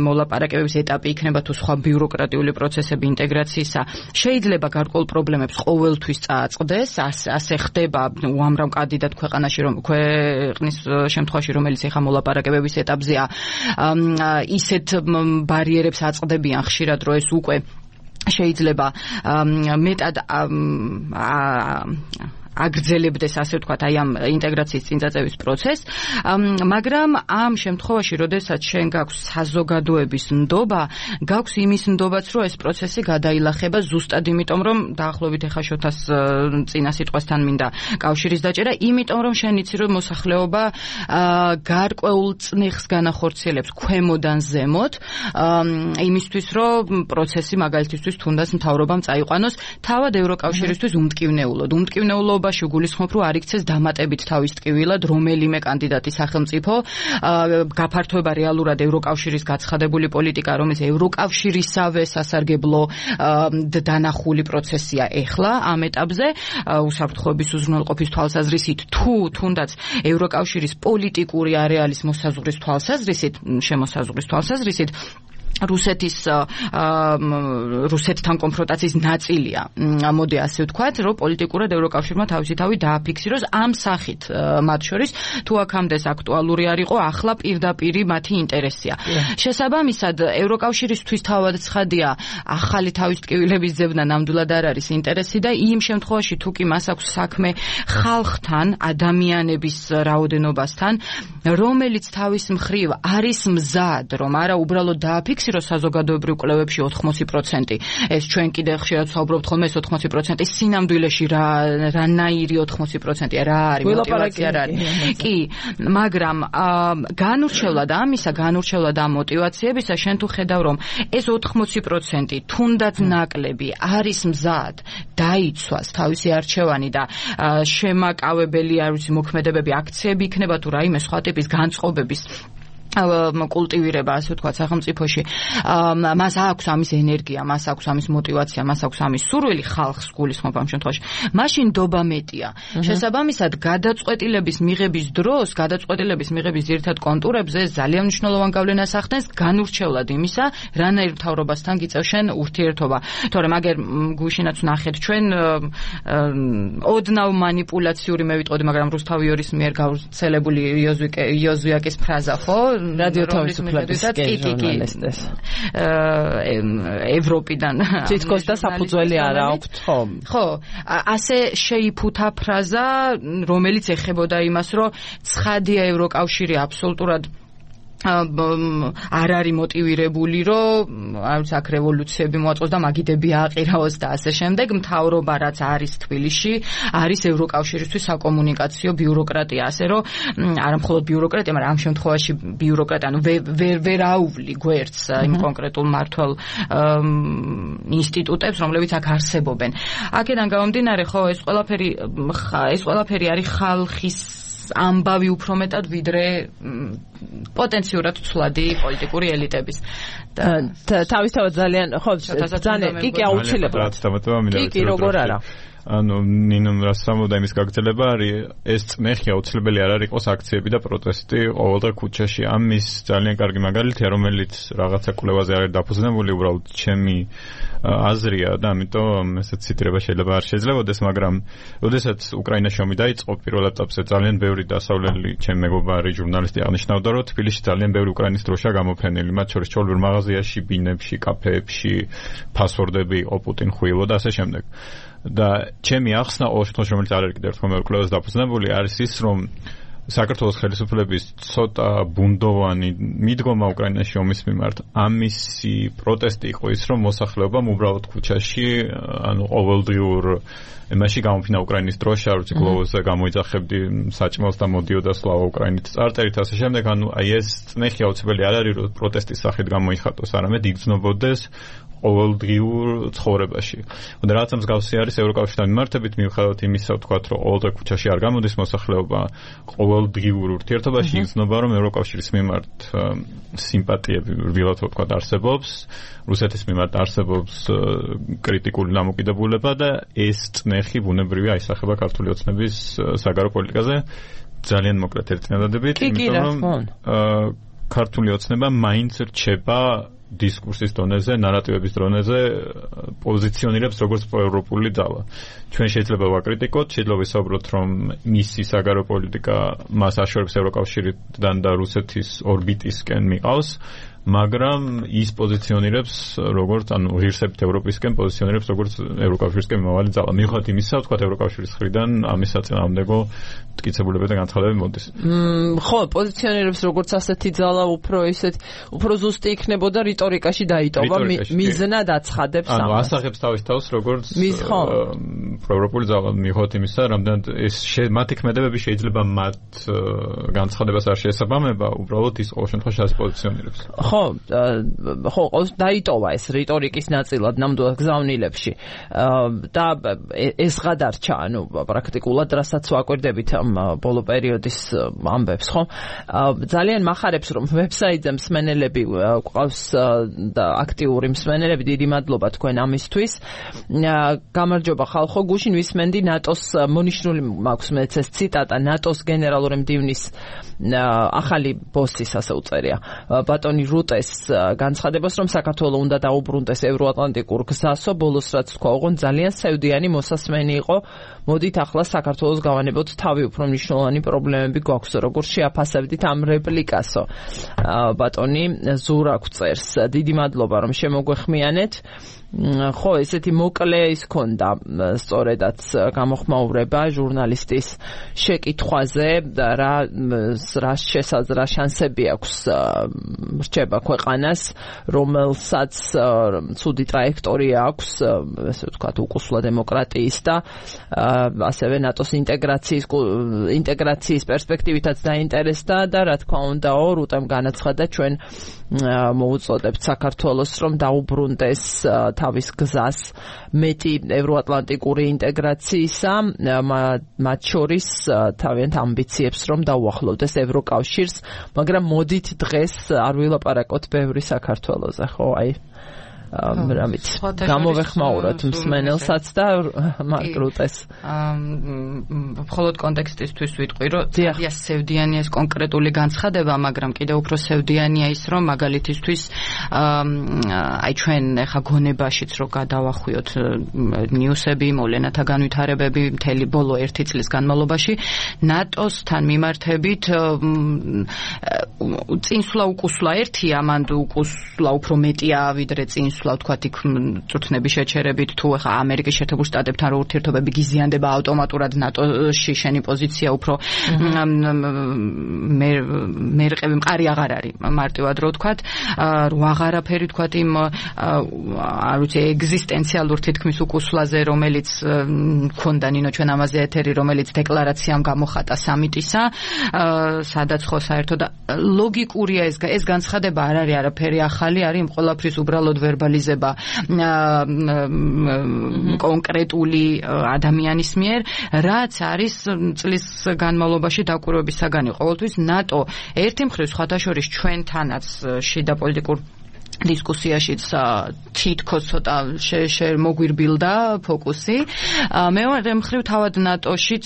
მოლაპარაკებების ეტაპი იქნება თუ სხვა ბიუროკრატიული პროცესები ინტეგრაციისა, შეიძლება გარკვეულ პრობლემებს ყოველთვის წააწყდეს, ასე ხდება უამრავ კანდიდატ ქვეყნის შემთხვევაში, რომელიც ეხა მოლაპარაკებების ეტაპზეა, ისეთ ბარიერებს აწყდებიან ხშირად, რომ ეს უკვე შეიძლება მეტად აგრძელებდეს, ასე ვთქვათ, აი ამ ინტეგრაციის წინწაწევის პროცესს, მაგრამ ამ შემთხვევაში, როდესაც შენ გაქვს საზოგადოების ნდობა, გაქვს იმის ნდობაც, რომ ეს პროცესი გადაილახება ზუსტად იმიტომ, რომ დაახლოებით ეხა შოთას წინა სიტყვასთან მინდა კავშირის დაჭერა, იმიტომ რომ შენ იცი, რომ მოსახლეობა გარკვეულ წნეხს განახორციელებს ქვემოდან ზემოთ, იმისთვის, რომ პროცესი მაგალითისთვის თუნდაც მთავრობამ წაიყვანოს, თავად ევროკავშირისთვის უმტკივნეულობა გულისხმობ, რომ არ იქცეს დამატებით თავის ტკივილად რომელიმე კანდიდატი სახელმწიფო, გაფართოება რეალურად ევროკავშირის გაცხადებული პოლიტიკა, რომელიც ევროკავშირისავე სასარგებლო დანახული პროცესია ეხლა ამ ეტაპზე, უსაფრთხოების უზრუნველყოფის თვალსაზრისით, თუ თუნდაც ევროკავშირის პოლიტიკური არეალის მოსაზღვრის თვალსაზრისით, რუსეთთან კონფრონტაციის ნაწილია. მოდი ასე ვთქვათ, რომ პოლიტიკურად ევროკავშირმა თავისი თავი დააფიქსიროს ამ სახით მათ შორის, თუ აქამდე აქტუალური არ იყო, ახლა პირდაპირი მათი ინტერესია. შესაბამისად, ევროკავშირისთვის თავად ცხადია, ახალი თავის ტკივილების ძებნა ნამდვილად არ არის ინტერესი და იმ შემთხვევაში, თუ კი მას აქვს საქმე ხალხთან, ადამიანების რაოდენობასთან, რომელიც თავის მხრივ არის მზად, რომ არა უბრალოდ დააფიქსიროს საზოგადოებრივ კვლევებში 80%. ეს ჩვენ კიდე ხშირად ვსაუბრობთ ხოლმე, ეს 80% სინამდვილეში რანაირი 80%-ია, რა არის мотиваცია რა არის. კი, მაგრამ განურჩევლად ამ мотиваციებისა შენ თუ ხედავ, რომ ეს 80% თუნდაც ნაკლები არის მზად დაიცვას თავისი არჩევანი და შემაკავებელი არის მოქმედებები, აქციები იქნება თუ რაიმე სხვა ტიპის განწყობების კულტივირება, ასე ვთქვათ, სახელმწიფოში. მას აქვს ამის ენერგია, მას აქვს ამის мотиваცია, მას აქვს ამის სურვილი ხალხს გულისხმობ ამ შემთხვევაში. მაშინ დობა მეტია. შესაბამისად, გადაწყვეტილების მიღების დროს, გადაწყვეტილების მიღების ძირითად კონტურებზე ძალიან მნიშვნელოვან გავლენას ახდენს განურჩევლად იმისა, რანაირ მთავრობასთან გიწევს შენ ურთიერთობა. თორემ აგერ გუშინაც ვნახეთ ჩვენ ოდნავ манипуляციური მე ვიტყოდი, მაგრამ რუსთავიორის მიერ გავრცელებული იოზვიაკის ფრაზა, ხო? რადიო თავისუფლების ჟურნალისტებს ევროპიდან თითქოს და საფუძველი არ აქვს, ხო, ასე შეიფუთა ფრაზა, რომელიც ეხებოდა იმას, რომ ცხადია ევროკავშირი აბსოლუტურად არ არის მოტივირებული, რომ აქ რევოლუციები მოაწყოს და მაგიდები აყირაოს და ასე შემდეგ. მთავრობა რაც არის თბილისში, არის ევროკავშირისთვის საკომუნიკაციო ბიუროკრატია, ასე რომ არა მხოლოდ ბიუროკრატია, მაგრამ ამ შემთხვევაში ბიუროკრატია, ანუ ვერ აუვლი გვერდს იმ კონკრეტულ მმართველ ინსტიტუტებს, რომლებიც აქ არსებობენ. აქედან გამომდინარე, ხო, ეს ყველაფერი არის ხალხის ამბავი უფრო მეტად ვიდრე პოტენციურად ცვლადი პოლიტიკური ელიტების. თავისთავად ძალიან, ხო, ძალიან კი აუცილებლად. კი, როგორ არა. ანუ ნინომ რასამოდა იმის გაგრძელება არის ეს წნეხი აუცილებელი არ არის იყოს აქციები და პროტესტი ყოველდღე ქუჩაში. ამის ძალიან კარგი მაგალითია, რომელიც რაღაცა კვლევაზე არის დაფუძნებული, უბრალოდ ჩემი აზრია და ამიტომ ესეც ციტირება შეიძლება არ შეიძლებაოდეს, მაგრამ როდესაც უკრაინაში ომი დაიწყო პირველ ეტაპზე ძალიან ბევრი დასავლელი ჩემი მეგობარი ჟურნალისტი აღნიშნავდა, რომ თბილისში ძალიან ბევრი უკრაინის დროშა გამოფენილი, მათ შორის ჩვეულებრივ მაღაზიაში, ბინებში, კაფეებში, ფასვორდები იყო პუტინ ხუილო და ასე შემდეგ. და ჩემი ახსნა ყოველ შემთხვევაში, რომელიც არ არის კიდევ ერთხელ მეორე კვლევაზე დაფუძნებული, არის ის, რომ საქართველოს ხელისუფლების ცოტა ბუნდოვანი მიდგომა უკრაინაში ომის მიმართ, ამისი პროტესტი იყო ის, რომ მოსახლეობამ უბრალოდ ქუჩაში, ანუ ყოველდღიურ იმაში გამოფინა უკრაინის დროშა, როცა გლოვზე გამოიძახებდი საჭმელს და მოდიოდა სლავა უკრაინით წარწერით ასე შემდეგ. ანუ აი ეს წნეხი აუცილებელი არ არის, რომ პროტესტის სახით გამოიხატოს, არამედ იგრძნობოდეს ყოველდღიურ ცხოვრებაში. და რაც მსგავსი არის ევროკავშირთან მიმართებით, მიუხედავად იმისა, ვთქვათ, რომ ყოველდღე ქუჩაში არ გამოდის მოსახლეობა, ყოველდღიურ ურთიერთობაში იგრძნობა, რომ ევროკავშირის მიმართ სიმპათიები რბილად ვთქვათ არსებობს, რუსეთის მიმართ არსებობს კრიტიკული დამოკიდებულება და ეს წნეხი ბუნებრივია აისახება ქართული ოცნების საგარეო პოლიტიკაზე. ძალიან მოკლედ ერთი წინადადებით, იმიტომ რომ ქართული ოცნება მაინც რჩება დისკურსის დონეზე, ნარატივების დონეზე პოზიციონირებს როგორც პროევროპული ძალა. ჩვენ შეიძლება ვაკრიტიკოთ, შეიძლება ვისაუბროთ, რომ მისი საგარეო პოლიტიკა მას აშორებს ევროკავშირიდან და რუსეთის ორბიტისკენ მიყავს, მაგრამ ის პოზიციონირებს როგორც, ანუ ღირსებით ევროპისკენ პოზიციონირებს როგორც ევროკავშირისკენ მიმავალი ძალა. მიუხედავად იმისა, ვთქვათ, ევროკავშირის მხრიდან ამის საწინააღმდეგო მტკიცებულებები და განცხადებები მოდის. ხო, პოზიციონირებს როგორც ასეთი ძალა, უფრო ზუსტი იქნებოდა რიტორიკაში დაიტოვა, მიზნად აცხადებს ამას. ანუ ასახებს თავის თავს როგორც პროევროპული ძალა, მიუხედავად იმისა, რამდენად ეს მათი ქმედებები შეიძლება მათ განცხადებას არ შეესაბამება, უბრალოდ ის ყოველ შემთხვევაში ასე პოზიციონირებს. ხო, დაიტოვა ეს რიტორიკის ნაწილად ნამდვილად გზავნილებში და ეს გადარჩა, ანუ პრაქტიკულად რასაც ვაკვირდებით ამ ბოლო პერიოდის ამბებს, ხო? ძალიან მახარებს, რომ ვებსაიტზე მსმენელები ყავს და აქტიური მსმენელები, დიდი მადლობა თქვენ ამისთვის. გამარჯობა ხალხო, გუშინ ვისმენდი ნატოს მონიშნული მაქვს მეც ეს ციტატა ნატოს გენერალური მდივნის ახალი ბოსის, ასე უწერია, ბატონი რუტეს განცხადებას, რომ საქართველოს უნდა დაუბრუნდეს ევროატლანტიკურ გზასო, ბოლოს რაც თქვა, ოღონ ძალიან სევდიანი მოსასმენი იყო. მოდით ახლა საქართველოს გავანებოთ თავი, უფრო მნიშვნელოვანი პრობლემები გვაქვს, როგორც შეაფასებდით ამ რეპლიკასო. ბატონი ზურაკ წერს, დიდი მადლობა რომ შემოგვეხმიანეთ. ხო, ესეთი მოკლე ის ქონდა სწორედაც გამოხმაურება ჟურნალისტის შეკითხვაზე და რა შანსები აქვს რჩება ქვეყანას, რომელსაც ცუდი ტრაექტორია აქვს, ესე ვთქვათ, უკუსლა დემოკრატიის და ასევე ნატოს ინტეგრაციის პერსპექტივითაც დაინტერესდა და რა თქმა უნდა, რუტემ განაცხადა ჩვენ მოუწოდებთ საქართველოს, რომ დაუბრუნდეს თავის გზას მეტი ევროატლანტიკური ინტეგრაციისა, მათ შორის თავიანთ ამბიციებს რომ დაუახლოვდეს ევროკავშირს, მაგრამ მოდით დღეს არ ვილაპარაკოთ ბევრი საქართველოზე, ხო, აი რამით გამოვეხმაუროთ მსმენელსაც და მარკ რუტეს. მხოლოდ კონტექსტისთვის ვიტყვი, რომ ძალიან სევდიანია ეს კონკრეტული განცხადება, მაგრამ კიდევ უფრო სევდიანია ის, რომ მაგალითისთვის აი ჩვენ ახლა გონებაშიც რო გადავახვიოთ ნიუსები, მოვლენათა განვითარებები მთელი ბოლო 1 წლის განმავლობაში, ნატოსთან მიმართებით წინსვლა უკუსვლა ერთია, მან უკუსვლა უფრო მეტია ვიდრე წინსვლა ვთქვათ იქ წვრთნების შეჩერებით თუ ახლა ამერიკის შეერთებულ შტატებთან რო ურთიერთობები გიზიანდება ავტომატურად ნატოში შენი პოზიცია უფრო მერყევი მყარი აღარ არის მარტივად რო ვთქვათ რო აღარაფერი ვთქვათ იმ არ ვიცი ეგზისტენციალურ თითქმის უკუსვლაზე რომელიც მქონდა ნინო ჩვენ ამაზე ეთერი რომელიც დეკლარაციამ გამოხატა სამიტისა სადაც ხო საერთოდ ლოგიკურია ეს განცხადება არ არის არაფერი ახალი არის იმ ყველაფრის უბრალოდ ვერბალიზება კონკრეტული ადამიანის მიერ რაც არის წლის განმავლობაში დაკვირვების საგანი ყოველთვის ნატო ერთი მხრივ სხვადასხვა ჩვენთანაც შიდა პოლიტიკურ დისკუსიაშიც თითქოს ცოტა მოგვირბილდა ფოკუსი. მეორე მხრივ თავად ნატოშიც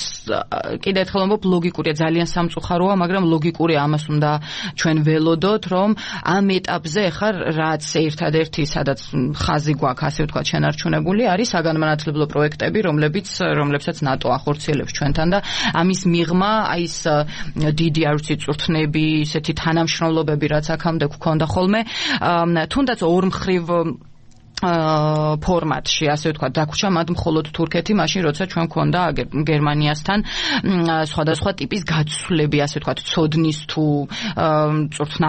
კიდევ ერთხელ ვამბობ ლოგიკურია ძალიან სამწუხაროა, მაგრამ ლოგიკურია ამას უნდა ჩვენ ველოდოთ, რომ ამ ეტაპზე ხარ რაც ერთადერთი სადაც ხაზი გვაქვს, ასე ვთქვათ, შენარჩუნებული არის საგანმანათლებლო პროექტები, რომლებსაც ნატო ახორციელებს ჩვენთან და ამის მიღმა აი ეს დიდი არ ვიცი წვრთნები, ისეთი თანამშრომლობები რაც აქამდე გქონდა ხოლმე თუნდაც ორმხრივ ფორმატში, ასე ვთქვათ, დაგვრჩა მათ მხოლოდ თურქეთი, მაშინ როცა ჩვენ გქონდა გერმანიასთან სხვადასხვა ტიპის გაცვლები, ასე ვთქვათ, ცოდნის თუ წვრთნა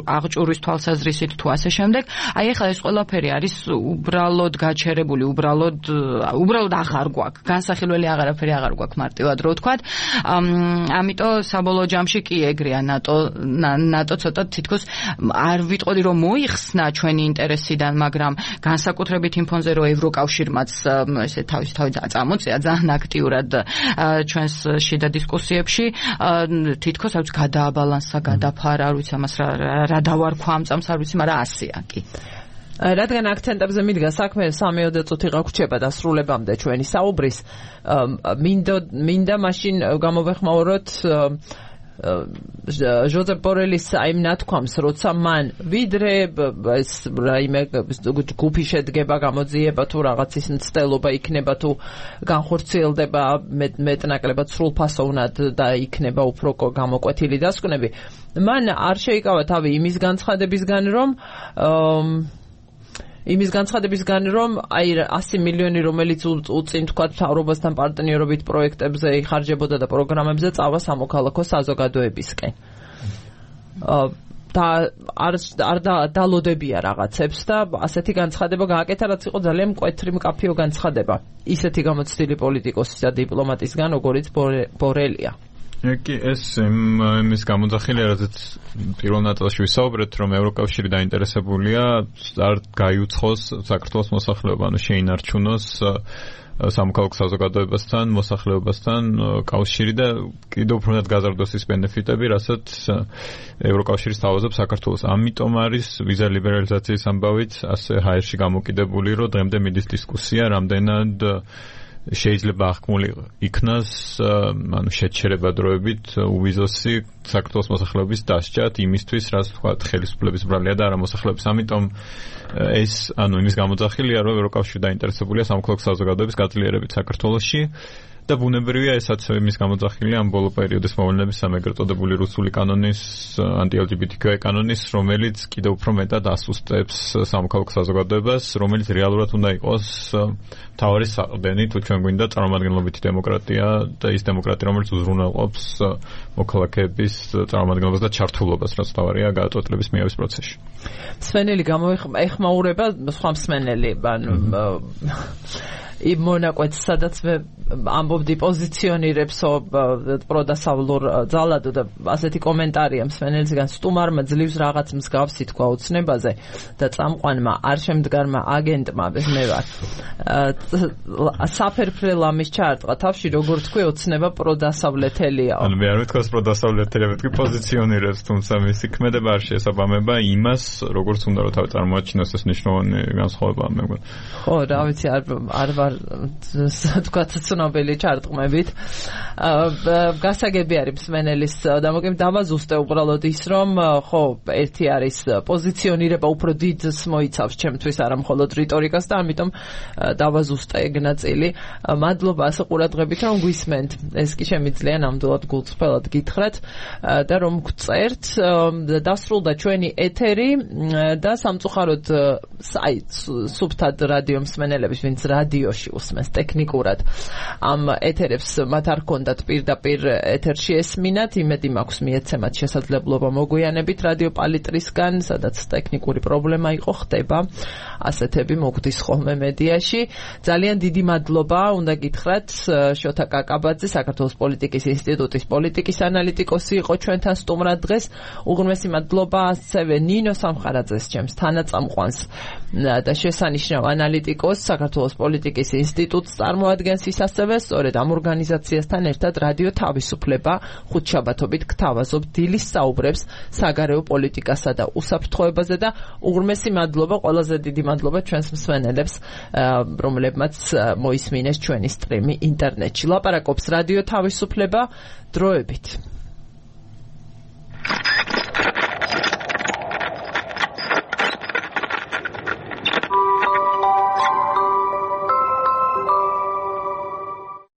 აღჭურვის თვალსაზრისით თუ ასე შემდეგ. აი ახლა ეს ყველაფერი არის უბრალოდ გაჩერებული, უბრალოდ აღარ გვაქვს. განსახილველი აღარაფერი აღარ გვაქვს მარტივად რო ვთქვათ. ამიტომ საბოლოო ჯამში კი ეგრეა ნატო ცოტა თითქოს არ ვიტყოდი რომ მოიხსნა ჩვენი ინტერესიდან, მაგრამ განსაკუთრებით იმ ფონზე რომ ევროკავშირმაც ესე თავის წამოწია ძალიან აქტიურად ჩვენს შიდა დისკუსიებში თითქოს აქვს გადააბალანსა, გადაფარა, არ ვიცი ამას რა დავარქვა ამ წამს, არ ვიცი, მაგრამ ასეა კი. რადგან აქცენტებზე მიდგა საქმე 3-4 წუთი გაგვრჩება დასრულებამდე ჩვენი საუბრის, მინდა მაშინ გამოვეხმაუროთ ჟოზეფ ბორელის იმ ნათქვამს, როცა მან ვიდრე ეს რაიმე გუფი შედგება, გამოძიება თუ რაღაცის მცდელობა იქნება თუ განხორციელდება მეტნაკლებად სრულფასოვნად და იქნება უფრო გამოკვეთილი დასკვნები, მან არ შეიკავა თავი იმის განცხადებისგან, რომ აი 100 მილიონი, რომელიც უწინ თქვა მთავრობასთან პარტნიორობით პროექტებზე იხარჯებოდა და პროგრამებზე წავა სამოქალაქო საზოგადოებისკენ. და არ დალოდებია რაღაცებს და ასეთი განცხადება გააკეთა, რაც იყო ძალიან მკვეთრი მკაფიო განცხადება. ისეთი გამოცდილი პოლიტიკოსის და დიპლომატისგან, როგორიც ბორელია. კი ეს იმის გამოძახილია, რადგან პირველ ნაწილში ვისაუბრეთ, რომ ევროკავშირი დაინტერესებულია არ გაიუცხოს საქართველოს მოსახლეობა, ანუ შეინარჩუნოს სამოქალაქო საზოგადოებასთან, მოსახლეობასთან კავშირი და კიდევ უფრო მეტად გაზარდოს ის ბენეფიტები, რასაც ევროკავშირი სთავაზობს საქართველოს. ამიტომ არის ვიზა ლიბერალიზაციის ამბავით ასე ჰაერში გამოკიდებული, რომ დღემდე მიდის დისკუსია, რამდენად შეიძლება აღქმული იქნას, ანუ შეჩერება დროებით უვიზოსი საქართველოს მოსახლეობის დასჯათ იმისთვის, რაც თქვათ ხელისუფლების ბრალია და არა მოსახლეობის. ამიტომ ეს ანუ იმის გამოძახილია, რომ ევროკავშირი დაინტერესებულია სამოქალაქო საზოგადოების გაძლიერებით საქართველოში და ბუნებრივია ესაც იმის გამოძახილია ამ ბოლო პერიოდის მოვლენების ეგრეთ წოდებული რუსული კანონის, ანტი-LGBTQ კანონის, რომელიც კიდევ უფრო მეტად ასუსტებს სამოქალაქო საზოგადოებას, რომელიც რეალურად უნდა იყოს მთავარი საყრდენი, თუ ჩვენ გვინდა წარმომადგენლობითი დემოკრატია და ის დემოკრატია, რომელიც უზრუნველყოფს მოქალაქეების წარმომადგენლობას და ჩართულობას, რაც მთავარია გადაწყვეტილების მიღების პროცესში. მსმენელი გამოეხმაურება სხვა მსმენელი, იმ მონაკვეთს, სადაც მე ამბობდი პოზიციონირებსო პროდასავლურ ძალადო და ასეთი კომენტარია მსმენელისგან, სტუმარმა ძლივს რაღაც მსგავსი თქვა ოცნებაზე და წამყვანმა არ შემდგარმა აგენტმა მე ვარ საფერფრე ლამის ჩაარტყა თავში, როგორ თქვი, ოცნება პროდასავლეთელია. ანუ მე არ ვთქვას პროდასავლეთელია, ვთქვი პოზიციონირებს, თუმცა მისი ქმედება არ შეესაბამება იმას, როგორც უნდა რომ თავი წარმოაჩინოს, ეს მნიშვნელოვანი განსხვავებაა მე მგონი. ხო, რა ვიცი, არ ვარ თქვა ცნობილი ჩარტყმებით. გასაგები არის მსმენელის დავაზუსტე უბრალოდ ის, რომ ხო, ერთი არის პოზიციონირება უფრო დიდს მოიცავს ჩემთვის, არა მხოლოდ რიტორიკას და ამიტომ დავაზუსტე ეგ ნაწილი. მადლობა ასე ყურადღებით, რომ გვისმენთ. ეს კი შემიძლია ნამდვილად გულწრფელად გითხრათ და რომ გწერთ. დასრულდა ჩვენი ეთერი და სამწუხაროდ აი სუფთად რადიო მსმენელების, ვინც რადიოში უსმენს ტექნიკურად ამ ეთერებს, მათ არ ჰქონდათ პირდაპირ ეთერში ესმინათ, იმედი მაქვს მიეცემათ შესაძლებლობა მოგვიანებით რადიო პალიტრისგან, სადაც ტექნიკური პრობლემა იყო, ხდება ასეთები მოგვდის ხოლმე მედიაში. ძალიან დიდი მადლობა უნდა გითხრათ შოთა კაკაბაძე, საქართველოს პოლიტიკის ინსტიტუტის პოლიტიკის ანალიტიკოსი იყო ჩვენთან სტუმრად დღეს. უღრმესი მადლობა ასევე ნინო სამხარაძეს, ჩემს თანაწამყვანს და შესანიშნავ ანალიტიკოს, საქართველოს პოლიტიკის ინსტიტუტს წარმოადგენს ის ასევე, სწორედ ამ ორგანიზაციასთან ერთად რადიო თავისუფლება ხუთშაბათობით გთავაზობ დილის საუბრებს საგარეო პოლიტიკასა და უსაფრთხოებაზე და უღრმესი მადლობა, ყველაზე დიდი მადლობა ჩვენს მსმენელებს, რომლებმაც მოისმინეს ჩვენი სტრიმი ინტერნეტში. ლაპარაკობს რადიო თავისუფლება, დროებით.